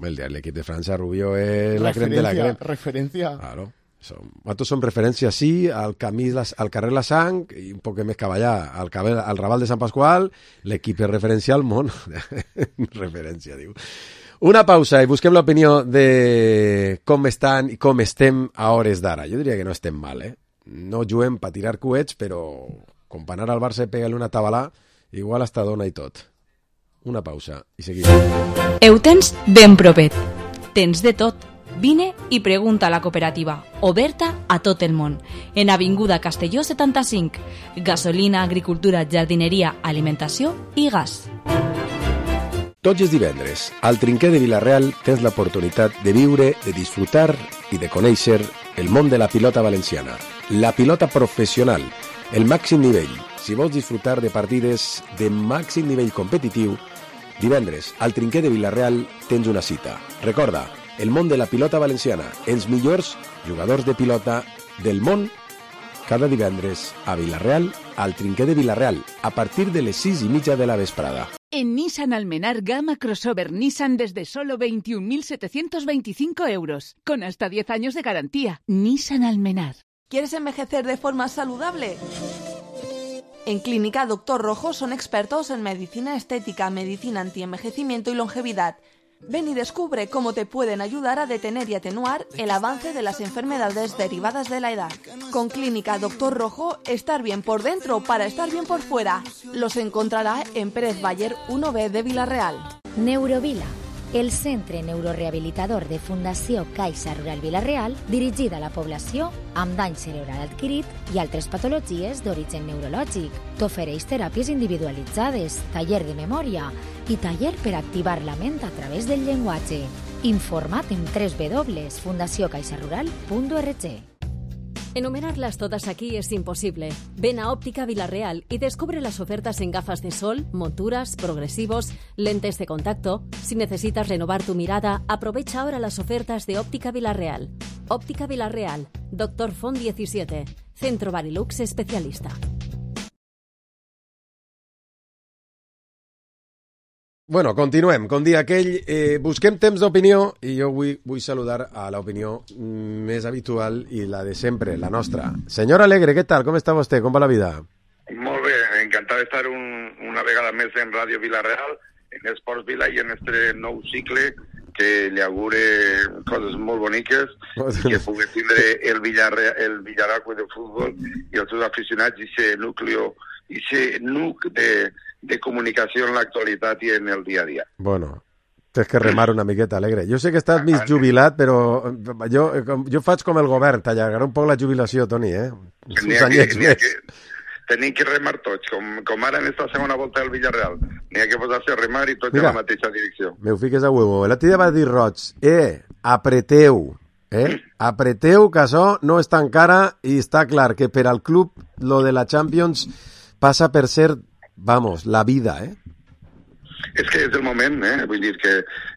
El diari L'Equip de França, Rubio, és la crem de la crem. Referència. Claro. Som, nosaltres som referència, sí, al, camí, al carrer La Sang i un poc més cap allà, al, cabell, al Raval de Sant Pasqual. L'Equip és referència al món. Referència, diu. Una pausa i busquem l'opinió de com estan i com estem a hores d'ara. Jo diria que no estem mal, eh? No juguem per tirar coets, però com per anar al Barça i pegar-li una tabalà, igual hasta dona i tot. Una pausa i seguim. Ho tens ben propet. Tens de tot. Vine i pregunta a la cooperativa, oberta a tot el món. En Avinguda Castelló setanta-cinc. Gasolina, agricultura, jardineria, alimentació i gas. Tots els divendres, al Trinquer de Vilareal tens l'oportunitat de viure, de disfrutar i de conèixer el món de la pilota valenciana. La pilota professional, el màxim nivell. Si vols disfrutar de partides de màxim nivell competitiu, divendres, al Trinquer de Vilareal tens una cita. Recorda, el món de la pilota valenciana, els millors jugadors de pilota del món cada divendres a Vila-real, al Trinquer de Vila-real, a partir de les sis i mitja de la vesprada. En Nissan Almenar gama crossover Nissan desde solo veintiún mil setecientos veinticinco euros, con hasta diez años de garantía. Nissan Almenar. ¿Quieres envejecer de forma saludable? En Clínica Doctor Rojo son expertos en medicina estética, medicina antienvejecimiento y longevidad. Ven y descubre cómo te pueden ayudar a detener y atenuar el avance de las enfermedades derivadas de la edad. Con Clínica Doctor Rojo, estar bien por dentro para estar bien por fuera. Los encontrará en Pérez Baller uno B de Vila-real. Neurovila, el centre neurorehabilitador de Fundació Caixa Rural Vila-real, dirigit a la població amb dany cerebral adquirit i altres patologies d'origen neurològic. T'ofereix teràpies individualitzades, taller de memòria i taller per activar la ment a través del llenguatge. Informa't en doble u doble u doble punt fundació caixa rural punt org. Enumerarlas todas aquí es imposible. Ven a Óptica Vila-real y descubre las ofertas en gafas de sol, monturas, progresivos, lentes de contacto. Si necesitas renovar tu mirada, aprovecha ahora las ofertas de Óptica Vila-real. Óptica Vila-real, Doctor Font diecisiete, Centro Barilux especialista. Bueno, continuem. Com dia aquell, eh, busquem temps d'opinió i jo vull, vull saludar a l'opinió més habitual i la de sempre, la nostra. Senyor Alegre, què tal? Com està vostè? Com va la vida? Molt bé, encantat d'estar un, una vegada més en Ràdio Vila-real, en Esports Vila i en este nou cicle que li augure coses molt boniques i que pugui tindre el Villarreal, el Villaracue de futbol i els seus aficionats i ser núcleo, i ser nuc de de comunicació en l'actualitat i en el dia a dia. Bueno, tens que remar una miqueta, Alegre. Jo sé que estàs mig jubilat, però jo, jo faig com el govern, t'allargarà un poc la jubilació, Toni, eh? Uns anyets més. Tenim que remar tots, com, com ara en esta segona volta del Villarreal. N'hi ha que posar-se a remar i tots en la mateixa direcció. Me ho fiques a huevo. L'altre dia va dir Roig, eh, apreteu, eh? Apreteu, que això no està encara i està clar que per al club lo de la Champions passa per ser vamos, la vida, eh? És que és el moment, eh? Vull dir que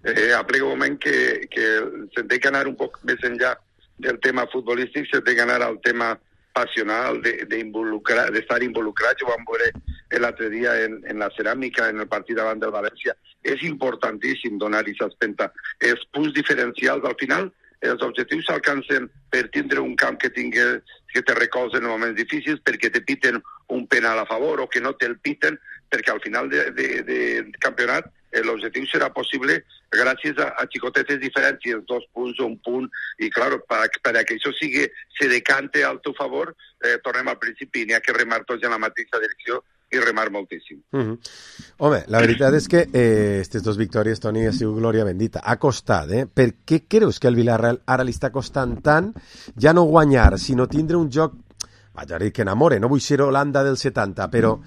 eh, aplega un moment que, que se té que anar un poc més enllà del tema futbolístic, se té que anar al tema passional, d'estar involucrat, involucrat. Jo vam veure l'altre dia en, en la ceràmica, en el partit davant del València. És importantíssim donar-hi s'espenta. Els punts diferencials, al final, els objectius s'alcancen per tindre un camp que tingui, que te recolzen en moments difícils, perquè te piten un penal a favor o que no te'l piten, perquè al final del de, de, de campionat l'objectiu serà possible gràcies a, a xicotetes diferències, dos punts o un punt, i clar, per, per a que això sigui, se decante al teu favor, eh, tornem al principi, n'hi ha que remar tots en la mateixa direcció i remar moltíssim. Uh -huh. Home, la veritat és que eh, aquestes dues victòries, Toni, ha sigut glòria bendita. Ha costat, eh? Per què creus que el Villarreal ara li està costant tant ja no guanyar, sinó tindre un joc, vaig a dir que enamore, no vull ser Holanda del setanta, però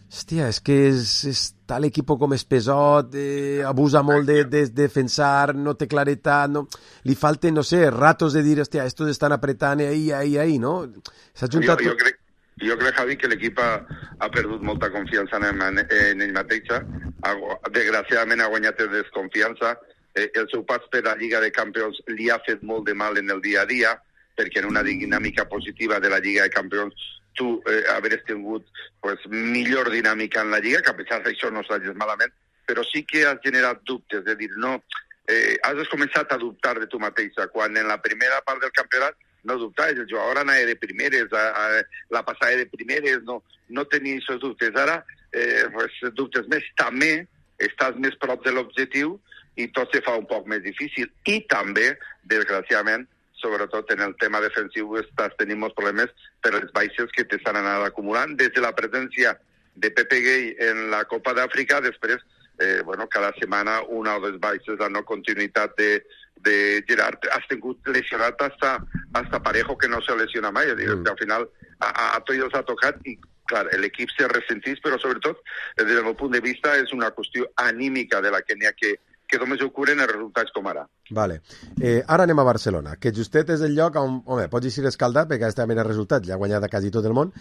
hòstia, és que és, està l'equip com és pesot, eh, abusa molt de, de defensar, no té claretat, no, li falten, no sé, ratos de dir, hòstia, estos estan apretant ahí, ahí, ahí, no? S'ha juntat... Jo, jo crec Jo crec, Javi, que l'equip ha, ha perdut molta confiança en, en, en ell mateixa. Ha, desgraciadament ha guanyat desconfiança. Eh, el seu pas per la Lliga de Campions li ha fet molt de mal en el dia a dia, perquè en una dinàmica positiva de la Lliga de Campions tu eh, haver tingut pues, millor dinàmica en la Lliga, que a pesar d'això no s'ha malament, però sí que has generat dubtes, de dir, no, eh, has començat a dubtar de tu mateixa, quan en la primera part del campionat no dubtar, el jugador anava de primeres, a, a, la passada de primeres, no, no tenia aquests dubtes. Ara, eh, pues, dubtes més. També estàs més prop de l'objectiu i tot se fa un poc més difícil. I també, desgraciadament, sobretot en el tema defensiu, estàs tenint molts problemes per les baixes que t'estan anant acumulant. Des de la presència de Pepe Gay en la Copa d'Àfrica, després, eh, bueno, cada setmana una o dues baixes, la no continuïtat de de Gerard, has tingut lesionat hasta, hasta Parejo, que no se lesiona mai. Mm. Al final a, a, a tots els ha tocat i, clar, l'equip se ressentís, però sobretot, des del meu punt de vista, és una qüestió anímica de la que n'hi ha que, que només ocorren els resultats com ara. Vale. Eh, ara anem a Barcelona, que justet és el lloc on, home, pots dir escaldat, perquè està mirant resultats, ja ha guanyat a quasi tot el món.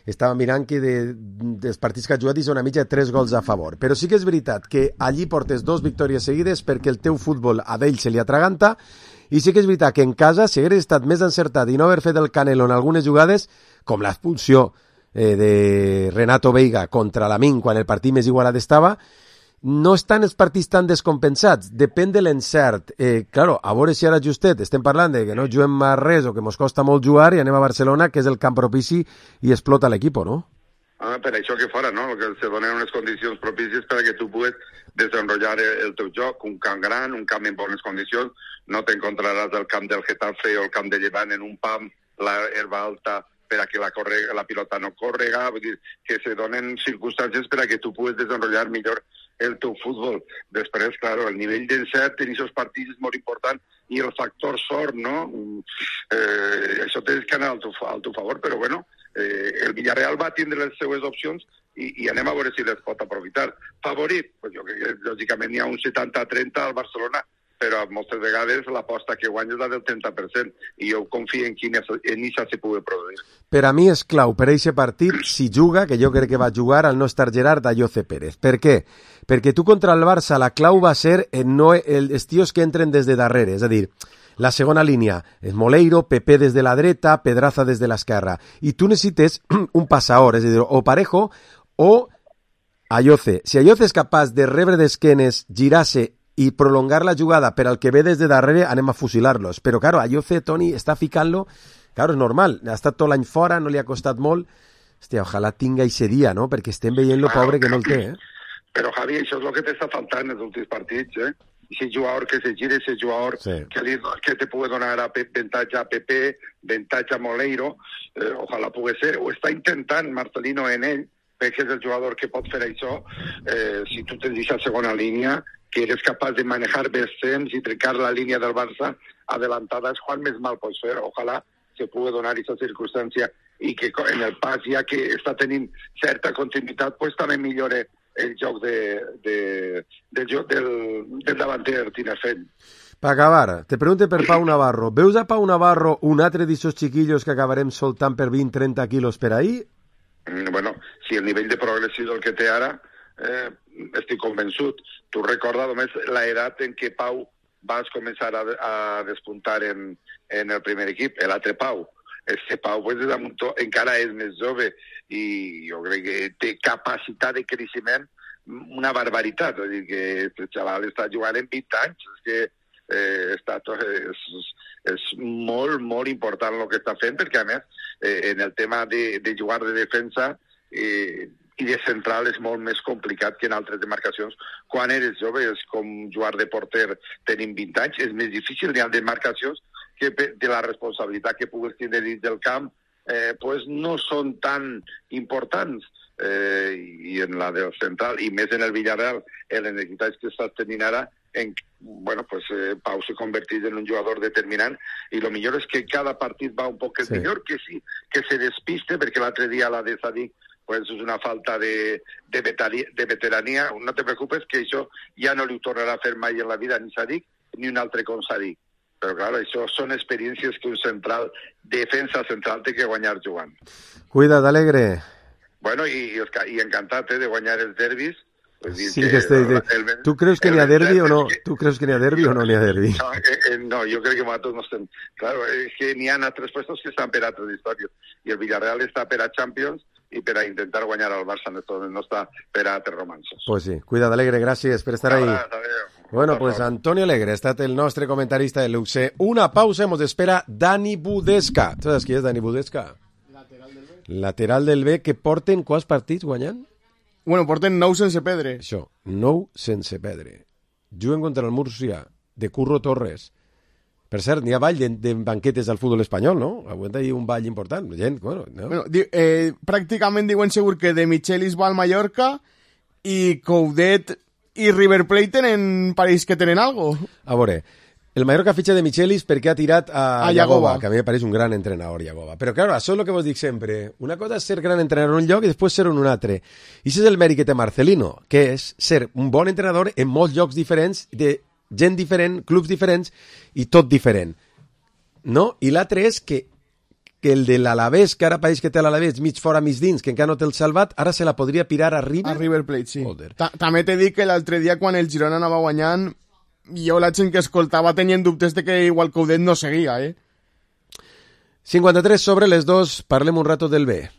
Estava mirant que de, dels partits que ha jugat hi són una mitja de tres gols a favor. Però sí que és veritat que allí portes dos victòries seguides perquè el teu futbol a d'ell se li atraganta, i sí que és veritat que en casa, si hagués estat més encertat i no haver fet el Canelo en algunes jugades, com l'expulsió eh, de Renato Veiga contra l'Amin quan el partit més igualat estava, no estan els partits tan descompensats, depèn de l'encert. Eh, claro, a veure si ara justet estem parlant de que no juguem a res o que mos costa molt jugar i anem a Barcelona, que és el camp propici i explota l'equip, no? Ah, per això que fora, no? Que se donen unes condicions propícies perquè tu puguis desenvolupar el teu joc, un camp gran, un camp en bones condicions, no t'encontraràs el camp del Getafe o el camp de Llevant en un pam, la herba alta, per a que la, correga, la pilota no córrega, vull dir, que se donen circumstàncies per a que tu puguis desenvolupar millor el teu futbol. Després, claro, el nivell d'encert en aquests partits és molt important i el factor sort, no? Eh, això té que anar al teu, al teu favor, però bueno, eh, el Villarreal va tindre les seues opcions i, i anem a veure si les pot aprofitar. Favorit? Pues jo crec que lògicament hi ha un setanta trenta al Barcelona, però moltes vegades l'aposta que guanya és la del trenta per cent i jo confio en que en això se pugui produir. Per a mi és clau per a aquest partit si juga, que jo crec que va jugar al no estar Gerard Ayoce Pérez. Per què? Perquè tu contra el Barça la clau va ser en no els tios que entren des de darrere, és a dir, la segona línia és Moleiro, Pepe des de la dreta, Pedraza des de l'esquerra, i tu necessites un passador, és a dir, o Parejo o Ayoce. Si Ayoce és capaç de rebre d'esquenes, girar-se i prolongar la jugada per al que ve des de darrere, anem a fusilar-los. Però, claro, Ayoce, Toni, està ficant-lo, claro, és normal, ha estat tot l'any fora, no li ha costat molt. Hòstia, ojalà tinga ese dia, no?, perquè estem veient lo pobre que no el té, eh? Però, Javi, això és el que t'està faltant en els últims partits, eh? Ese jugador que se gire, ese jugador sí. que, li, que te pugui donar a avantatge a Pepe, avantatge a Moleiro, eh, ojalà pugui ser, ho està intentant Marcelino en ell, perquè és el jugador que pot fer això, eh, si tu tens aquesta segona línia, que eres capaç de manejar bé els temps i trencar la línia del Barça adelantada, és quan més mal pots fer. Ojalà se pugui donar aquesta circumstància i que en el pas, ja que està tenint certa continuïtat, pues també millore el joc de, de, del, joc del, del davanter Tinefent. Per acabar, te pregunte per Pau Navarro. Veus a Pau Navarro un altre d'aquests xiquillos que acabarem soltant per vint trenta quilos per ahí? Bueno, si el nivell de progressió del que té ara, eh, estic convençut. Tu recorda només l'edat en què Pau vas començar a, a despuntar en, en el primer equip, l'altre Pau. Este Pau pues, encara és més jove i jo crec que té capacitat de creixement una barbaritat. És dir, que el xaval està jugant en vint anys, és que eh, està tot, és, és molt, molt important el que està fent, perquè a més, eh, en el tema de, de jugar de defensa, eh, i de central és molt més complicat que en altres demarcacions. Quan eres jove és com jugar de porter tenint vint anys, és més difícil. Hi ha demarcacions que de la responsabilitat que puguis tenir dins del camp eh, pues no són tan importants. Eh, I en la del central, i més en el Villarreal, en les necessitats que estàs tenint ara, en, bueno, pues, eh, Pau se converteix en un jugador determinant i el millor és que cada partit va un poc sí. millor, que sí, que se despiste, perquè l'altre dia la de Sadik pues és una falta de, de, vetari, de veterania. No te preocupes que això ja no li tornarà a fer mai en la vida ni Sadik ni un altre com Sadik. Però clar, això són experiències que un central, defensa central, té que guanyar jugant. Cuida't, Alegre. Bueno, i, i encantat eh, de guanyar els derbis. Pues sí, que este, de, el, ¿Tú creus que n'hi ha derbi o no? Que... ¿Tú creus que n'hi ha derbi o no n'hi ha derbi? No, eh, no, jo crec que nosaltres no estem... Claro, és que n'hi ha altres puestos que estan per altres històries. I el Villarreal està per a Champions i per a intentar guanyar al Barça, no està per a altres romansos. Pues sí, cuida't, Alegre, gràcies per estar ahí. Bueno, pues Antonio Alegre ha estat el nostre comentarista de l'U C. Una pausa, hemos espera Dani Budesca. Tu saps qui és Dani Budesca? Lateral del B. Lateral del B, que porten quants partits guanyant? Bueno, porten nou sense perdre. Això, nou sense perdre. Juguen contra el Múrcia, de Curro Torres. Per cert, n'hi ha ball de, de banquetes al futbol espanyol, no? Aguanta ahí un ball important. Gent, bueno, no? Bueno, di, eh, pràcticament diuen segur que de Michelis va al Mallorca i Coudet i River Plate tenen, pareix que tenen algo. A veure, el Mallorca fitxa de Michelis perquè ha tirat a, a Yagoba, Yagoba, que a mi me pareix un gran entrenador, Yagoba. Però, claro, això és el que vos dic sempre. Una cosa és ser gran entrenador en un lloc i després ser en un altre. I això és el mèrit que té Marcelino, que és ser un bon entrenador en molts llocs diferents, de gent diferent, clubs diferents i tot diferent. No? I l'altre és que, que el de l'Alavés, que ara pareix que té l'Alavés mig fora, mig dins, que encara no té el salvat, ara se la podria pirar a River? A River Plate, sí. També t'he dit que l'altre dia, quan el Girona anava guanyant, jo la gent que escoltava tenien dubtes de que igual Coudet no seguia, eh? cinquanta-tres sobre les dos, parlem un rato del B.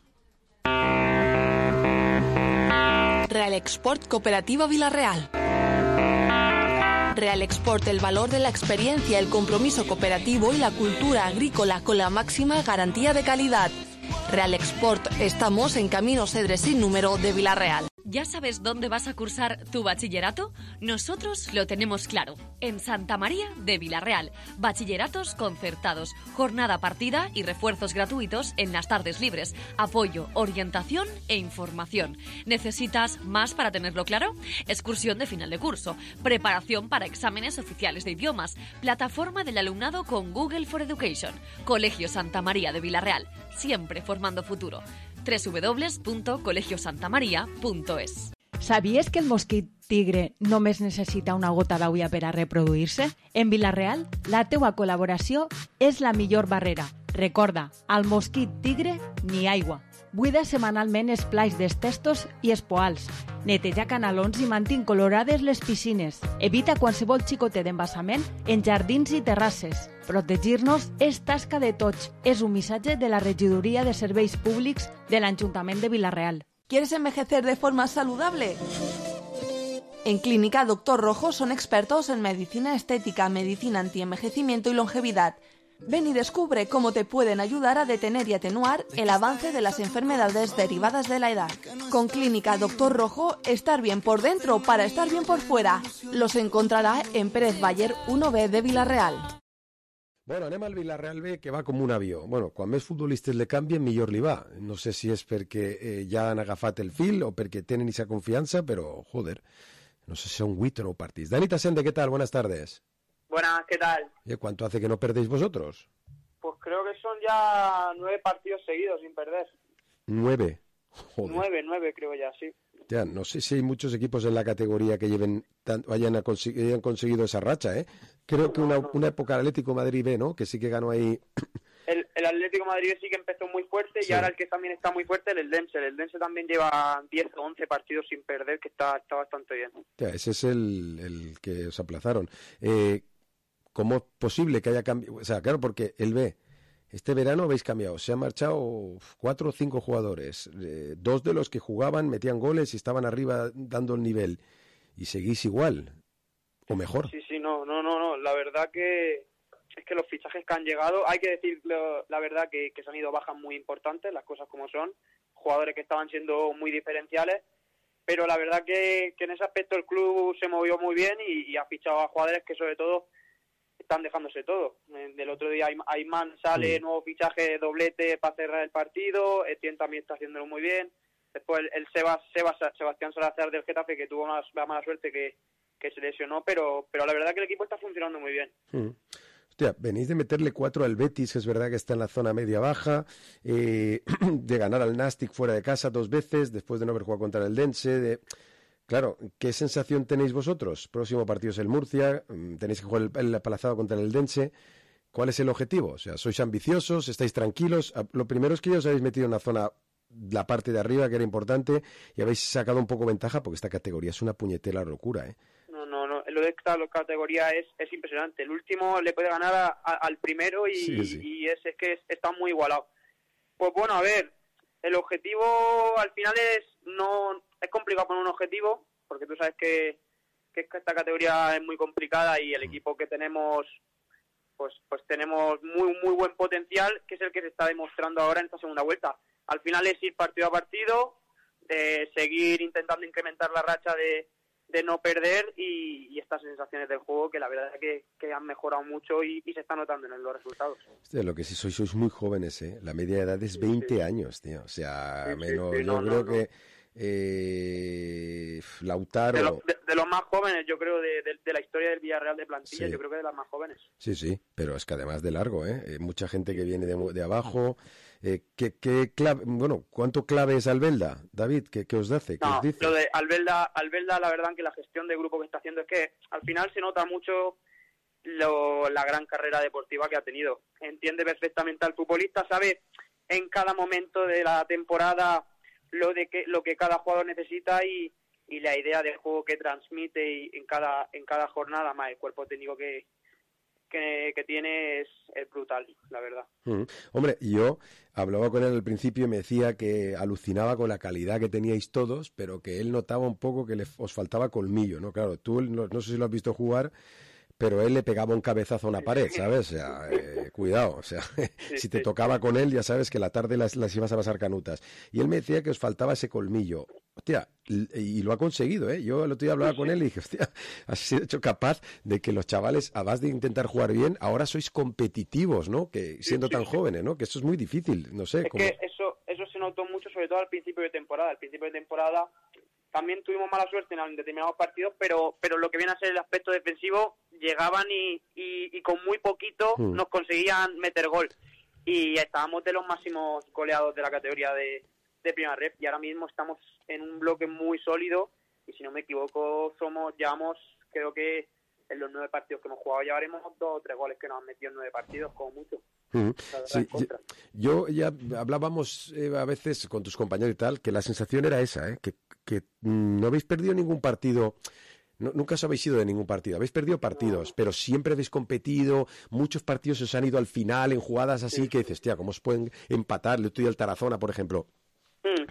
Real Export Cooperativa Villarreal. Real Export, el valor de la experiencia, el compromiso cooperativo y la cultura agrícola con la máxima garantía de calidad. Real Export, estamos en Camino Cedre sin número de Villarreal. ¿Ya sabes dónde vas a cursar tu bachillerato? Nosotros lo tenemos claro. En Santa María de Villarreal. Bachilleratos concertados, jornada partida y refuerzos gratuitos en las tardes libres. Apoyo, orientación e información. ¿Necesitas más para tenerlo claro? Excursión de final de curso. Preparación para exámenes oficiales de idiomas. Plataforma del alumnado con Google for Education. Colegio Santa María de Villarreal. Siempre formando futuro. doble u doble u doble u punto colegio santa maria punto es. Sabies que el mosquit tigre només necessita una gota d'aigua per a reproduir-se? En Villarreal, la teua col·laboració és la millor barrera. Recorda, al mosquit tigre, ni aigua. Buida setmanalment els plats dels testos i els poals. Neteja canalons i mantén colorades les piscines. Evita qualsevol xicotet d'embassament en jardins i terrasses. Protegir-nos és tasca de tots. És un missatge de la Regidoria de Serveis Públics de l'Ajuntament de Villarreal. ¿Quieres envejecer de forma saludable? En Clínica Doctor Rojo son expertos en medicina estética, medicina antienvejecimiento y longevidad. Ven y descubre cómo te pueden ayudar a detener y atenuar el avance de las enfermedades derivadas de la edad. Con Clínica Doctor Rojo, estar bien por dentro para estar bien por fuera. Los encontrará en Pérez Baller uno B de Villarreal. Bueno, anem al Villarreal B, que va com un avió. Bueno, quan més futbolistes le canvien, millor li va. No sé si és perquè eh, ja han agafat el fil o perquè tenen esa confiança, però, joder, no sé si son huit o no partits. Dani Tasende, ¿qué tal? Buenas tardes. Buenas, ¿qué tal? ¿Y cuánto hace que no perdéis vosotros? Pues creo que son ya nueve partidos seguidos sin perder. Nueve. Joder. Nueve, nueve creo ya, sí. Ya, no sé si hay muchos equipos en la categoría que lleven tan, hayan, hayan conseguido esa racha, ¿eh? Creo que una, una época Atlético Madrid B, ¿no? Que sí que ganó ahí. El, el Atlético Madrid sí que empezó muy fuerte, sí. Y ahora el que también está muy fuerte es el Eldense. El Eldense también lleva diez o once partidos sin perder, que está, está bastante bien. Ya, ese es el, el que os aplazaron. Eh, ¿Cómo es posible que haya cambiado? O sea, claro, porque el B, este verano habéis cambiado. Se han marchado cuatro o cinco jugadores. Eh, dos de los que jugaban, metían goles y estaban arriba dando el nivel. Y seguís igual, o mejor. Sí, sí, no, no, no, no. La verdad que es que los fichajes que han llegado, hay que decir la verdad que, que se han ido bajas muy importantes, las cosas como son. Jugadores que estaban siendo muy diferenciales. Pero la verdad que, que en ese aspecto el club se movió muy bien y, y ha fichado a jugadores que sobre todo están dejándose todo. Del otro día Ayman sale, mm. nuevo fichaje, doblete para cerrar el partido. Etienne también está haciéndolo muy bien. Después el, el Sebas, Sebas, Sebastián Salazar del Getafe, que tuvo una, la mala suerte que, que se lesionó, pero, pero la verdad que el equipo está funcionando muy bien. Mm. Hostia, venís de meterle cuatro al Betis, que es verdad que está en la zona media-baja, eh, de ganar al Nastic fuera de casa dos veces, después de no haber jugado contra el Dense, de... Claro, ¿qué sensación tenéis vosotros? Próximo partido es el Murcia, tenéis que jugar el, el apalazado contra el Eldense. ¿Cuál es el objetivo? O sea, ¿sois ambiciosos? ¿Estáis tranquilos? Lo primero es que ya os habéis metido en una zona, la parte de arriba, que era importante, y habéis sacado un poco ventaja, porque esta categoría es una puñetera locura, ¿eh? No, no, no. Lo de esta categoría es, es impresionante. El último le puede ganar a, a, al primero y, sí, sí. y es, es que es, está muy igualado. Pues bueno, a ver, el objetivo al final es no... Es complicado poner un objetivo, porque tú sabes que, que esta categoría es muy complicada y el equipo que tenemos, pues pues tenemos muy muy buen potencial, que es el que se está demostrando ahora en esta segunda vuelta. Al final es ir partido a partido, de seguir intentando incrementar la racha de, de no perder y, y estas sensaciones del juego que la verdad es que, que han mejorado mucho y, y se está notando en los resultados. Hostia, lo que sí sois, sois muy jóvenes, ¿eh? La media de edad es veinte sí. años, tío. O sea, sí, menos, sí, sí, yo no, creo no, que... No. Eh, Lautaro de, lo, de, de los más jóvenes, yo creo, de, de, de la historia del Villarreal de plantilla, sí. Yo creo que de las más jóvenes. Sí, sí, pero es que además de largo, ¿eh? eh mucha gente que viene de, de abajo. Eh, ¿qué, qué clave, bueno, ¿cuánto clave es Albelda, David? ¿Qué, qué os hace? ¿Qué no, os dice? Lo de Albelda, Albelda, la verdad que la gestión de grupo que está haciendo es que al final se nota mucho lo, la gran carrera deportiva que ha tenido. Entiende perfectamente al futbolista, sabe en cada momento de la temporada lo de que lo que cada jugador necesita y, y la idea de juego que transmite y en cada en cada jornada, más el cuerpo técnico que, que, que tiene es, es brutal, la verdad. Mm. Hombre, yo hablaba con él al principio y me decía que alucinaba con la calidad que teníais todos, pero que él notaba un poco que le, os faltaba colmillo, ¿no? Claro, tú no, no sé si lo has visto jugar, pero él le pegaba un cabezazo a una pared, ¿sabes? O sea, eh, cuidado, o sea, sí, si te sí. tocaba con él, ya sabes que la tarde las, las ibas a pasar canutas. Y él me decía que os faltaba ese colmillo. Hostia, y, y lo ha conseguido, ¿eh? Yo el otro día hablaba sí, con sí. él y dije, hostia, has sido hecho capaz de que los chavales, además de intentar jugar bien, ahora sois competitivos, ¿no? Que siendo sí, sí, tan sí. jóvenes, ¿no? Que eso es muy difícil, no sé. Es cómo... que eso, eso se notó mucho, sobre todo al principio de temporada. Al principio de temporada también tuvimos mala suerte en determinados partidos, pero pero lo que viene a ser el aspecto defensivo, llegaban y, y, y con muy poquito hmm. nos conseguían meter gol. Y estábamos de los máximos goleados de la categoría de, de Primera Ref, y ahora mismo estamos en un bloque muy sólido, y si no me equivoco, somos llevamos, creo que en los nueve partidos que hemos jugado llevaremos dos o tres goles que nos han metido en nueve partidos, como mucho. Uh-huh. Sí, yo ya hablábamos eh, a veces con tus compañeros y tal, que la sensación era esa, ¿eh? que, que no habéis perdido ningún partido, no, nunca os habéis ido de ningún partido, habéis perdido partidos, no. pero siempre habéis competido, muchos partidos os han ido al final en jugadas así sí. que dices, tía, ¿cómo os pueden empatar? Le estoy al Tarazona, por ejemplo.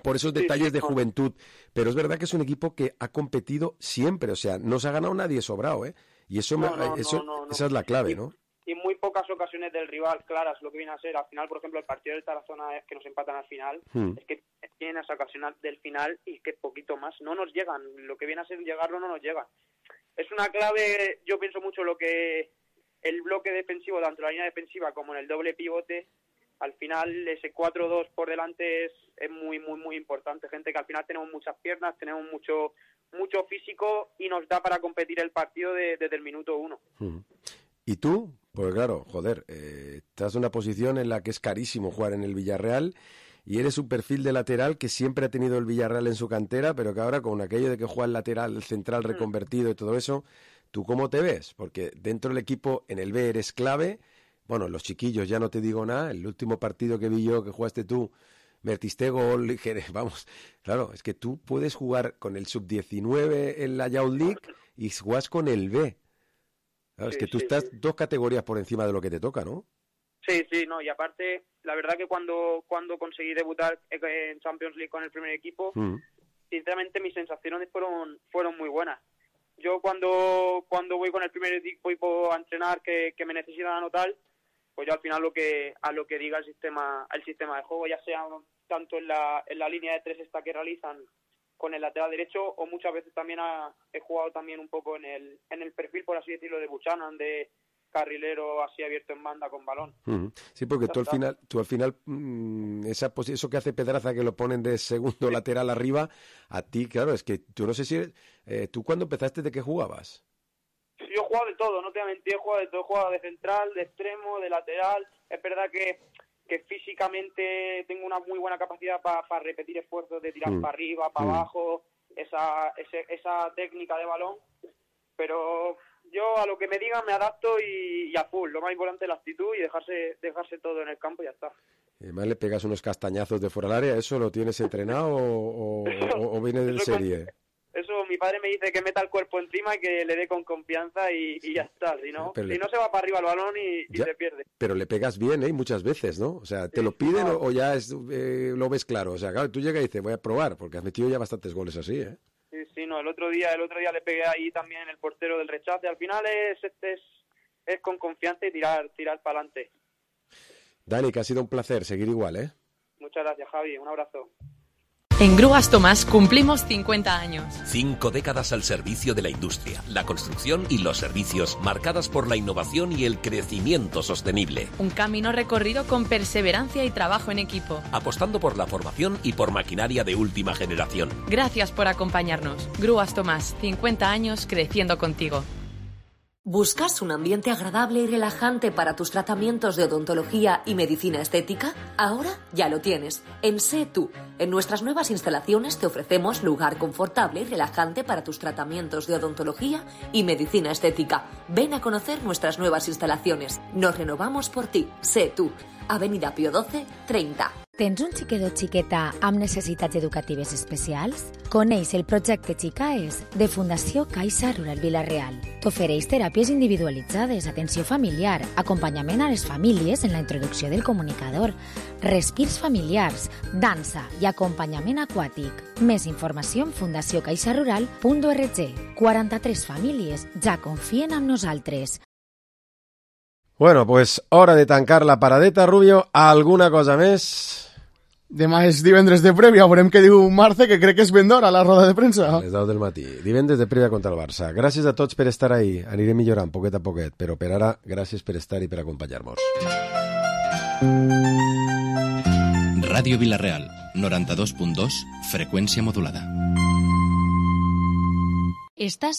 Por esos detalles sí, sí, de juventud, pero es verdad que es un equipo que ha competido siempre, o sea, no se ha ganado nadie sobrado, ¿eh? Y eso, no, me, no, eso no, no, no. esa es la clave, ¿no? Y muy pocas ocasiones del rival claras lo que viene a ser. Al final, por ejemplo, el partido del Tarazona es que nos empatan al final, hmm. es que tienen esa ocasión del final y que poquito más. No nos llegan, lo que viene a ser llegarlo no nos llega. Es una clave, yo pienso mucho lo que el bloque defensivo, tanto en la línea defensiva como en el doble pivote, al final ese cuatro dos por delante es, es muy, muy, muy importante. Gente que al final tenemos muchas piernas, tenemos mucho mucho físico y nos da para competir el partido de, desde el minuto uno. Hmm. ¿Y tú? Pues claro, joder, eh, estás en una posición en la que es carísimo jugar en el Villarreal y eres un perfil de lateral que siempre ha tenido el Villarreal en su cantera, pero que ahora con aquello de que juega el lateral, el central reconvertido y todo eso, ¿tú cómo te ves? Porque dentro del equipo, en el B eres clave. Bueno, los chiquillos ya no te digo nada. El último partido que vi yo que jugaste tú, metiste gol, vamos, claro, es que tú puedes jugar con el sub diecinueve en la Youth League y juegas con el B. Claro, sí, es que tú sí, estás sí. dos categorías por encima de lo que te toca, ¿no? Sí, sí, no, y aparte, la verdad que cuando cuando conseguí debutar en Champions League con el primer equipo, mm. sinceramente mis sensaciones fueron fueron muy buenas. Yo cuando cuando voy con el primer equipo a entrenar que, que me necesitan anotar, pues yo al final lo que a lo que diga el sistema el sistema de juego, ya sea tanto en la en la línea de tres esta que realizan con el lateral derecho, o muchas veces también ha, he jugado también un poco en el en el perfil, por así decirlo, de Buchanan, de carrilero así abierto en banda con balón. Uh-huh. Sí, porque tú al final, tú al final mmm, esa eso que hace Pedraza, que lo ponen de segundo sí. lateral arriba, a ti, claro, es que tú no sé si eh, tú cuando empezaste, ¿de qué jugabas? Yo he jugado de todo, no te voy a mentir, he jugado de todo, he jugado de central, de extremo, de lateral. Es verdad que, que físicamente tengo una muy buena capacidad para pa repetir esfuerzos de tirar mm. para arriba, para mm. abajo, esa, ese, esa técnica de balón, pero yo a lo que me digan me adapto y, y a full. Lo más importante es la actitud y dejarse dejarse todo en el campo y ya está. Además le pegas unos castañazos de fuera del área, ¿eso lo tienes entrenado o, o, o, o viene del serie? Con... Eso mi padre me dice que meta el cuerpo encima y que le dé con confianza y, y ya está. Si no, si le... no se va para arriba el balón y, y se pierde. Pero le pegas bien, ¿eh? Muchas veces, ¿no? O sea, ¿te sí, lo piden no. o ya es, eh, lo ves claro? O sea, claro, tú llegas y dices, voy a probar, porque has metido ya bastantes goles así, ¿eh? Sí, sí, no. El otro día el otro día le pegué ahí también el portero del rechace. Al final es, es, es con confianza y tirar, tirar para adelante. Dani, que ha sido un placer seguir igual, ¿eh? Muchas gracias, Javi. Un abrazo. En Grúas Tomás cumplimos cincuenta años. Cinco décadas al servicio de la industria, la construcción y los servicios, marcadas por la innovación y el crecimiento sostenible. Un camino recorrido con perseverancia y trabajo en equipo. Apostando por la formación y por maquinaria de última generación. Gracias por acompañarnos. Grúas Tomás, cincuenta años creciendo contigo. ¿Buscas un ambiente agradable y relajante para tus tratamientos de odontología y medicina estética? Ahora ya lo tienes. En Sé Tú. En nuestras nuevas instalaciones te ofrecemos lugar confortable y relajante para tus tratamientos de odontología y medicina estética. Ven a conocer nuestras nuevas instalaciones. Nos renovamos por ti. Sé Tú. Avenida Pío doce, treinta. Tens un xiquet o xiqueta amb necessitats educatives especials? Coneix el projecte Xicaes de Fundació Caixa Rural Vila-real. T'ofereix teràpies individualitzades, atenció familiar, acompanyament a les famílies en la introducció del comunicador, respirs familiars, dansa i acompanyament aquàtic. Més informació en fundació caixa rural punt org. quaranta-tres famílies ja confien en nosaltres. Bueno, pues hora de tancar la paradeta, Rubio. ¿Alguna cosa més? Demà és divendres de prèvia, veurem què diu Marce, que crec que és ben d'hora a la roda de premsa. A les deu del matí. Divendres de prèvia contra el Barça. Gràcies a tots per estar ahí. Anirem millorant poquet a poquet, però per ara, gràcies per estar i per acompanyar-nos. Ràdio Vila-real, noranta-dos punt dos, freqüència modulada. Estàs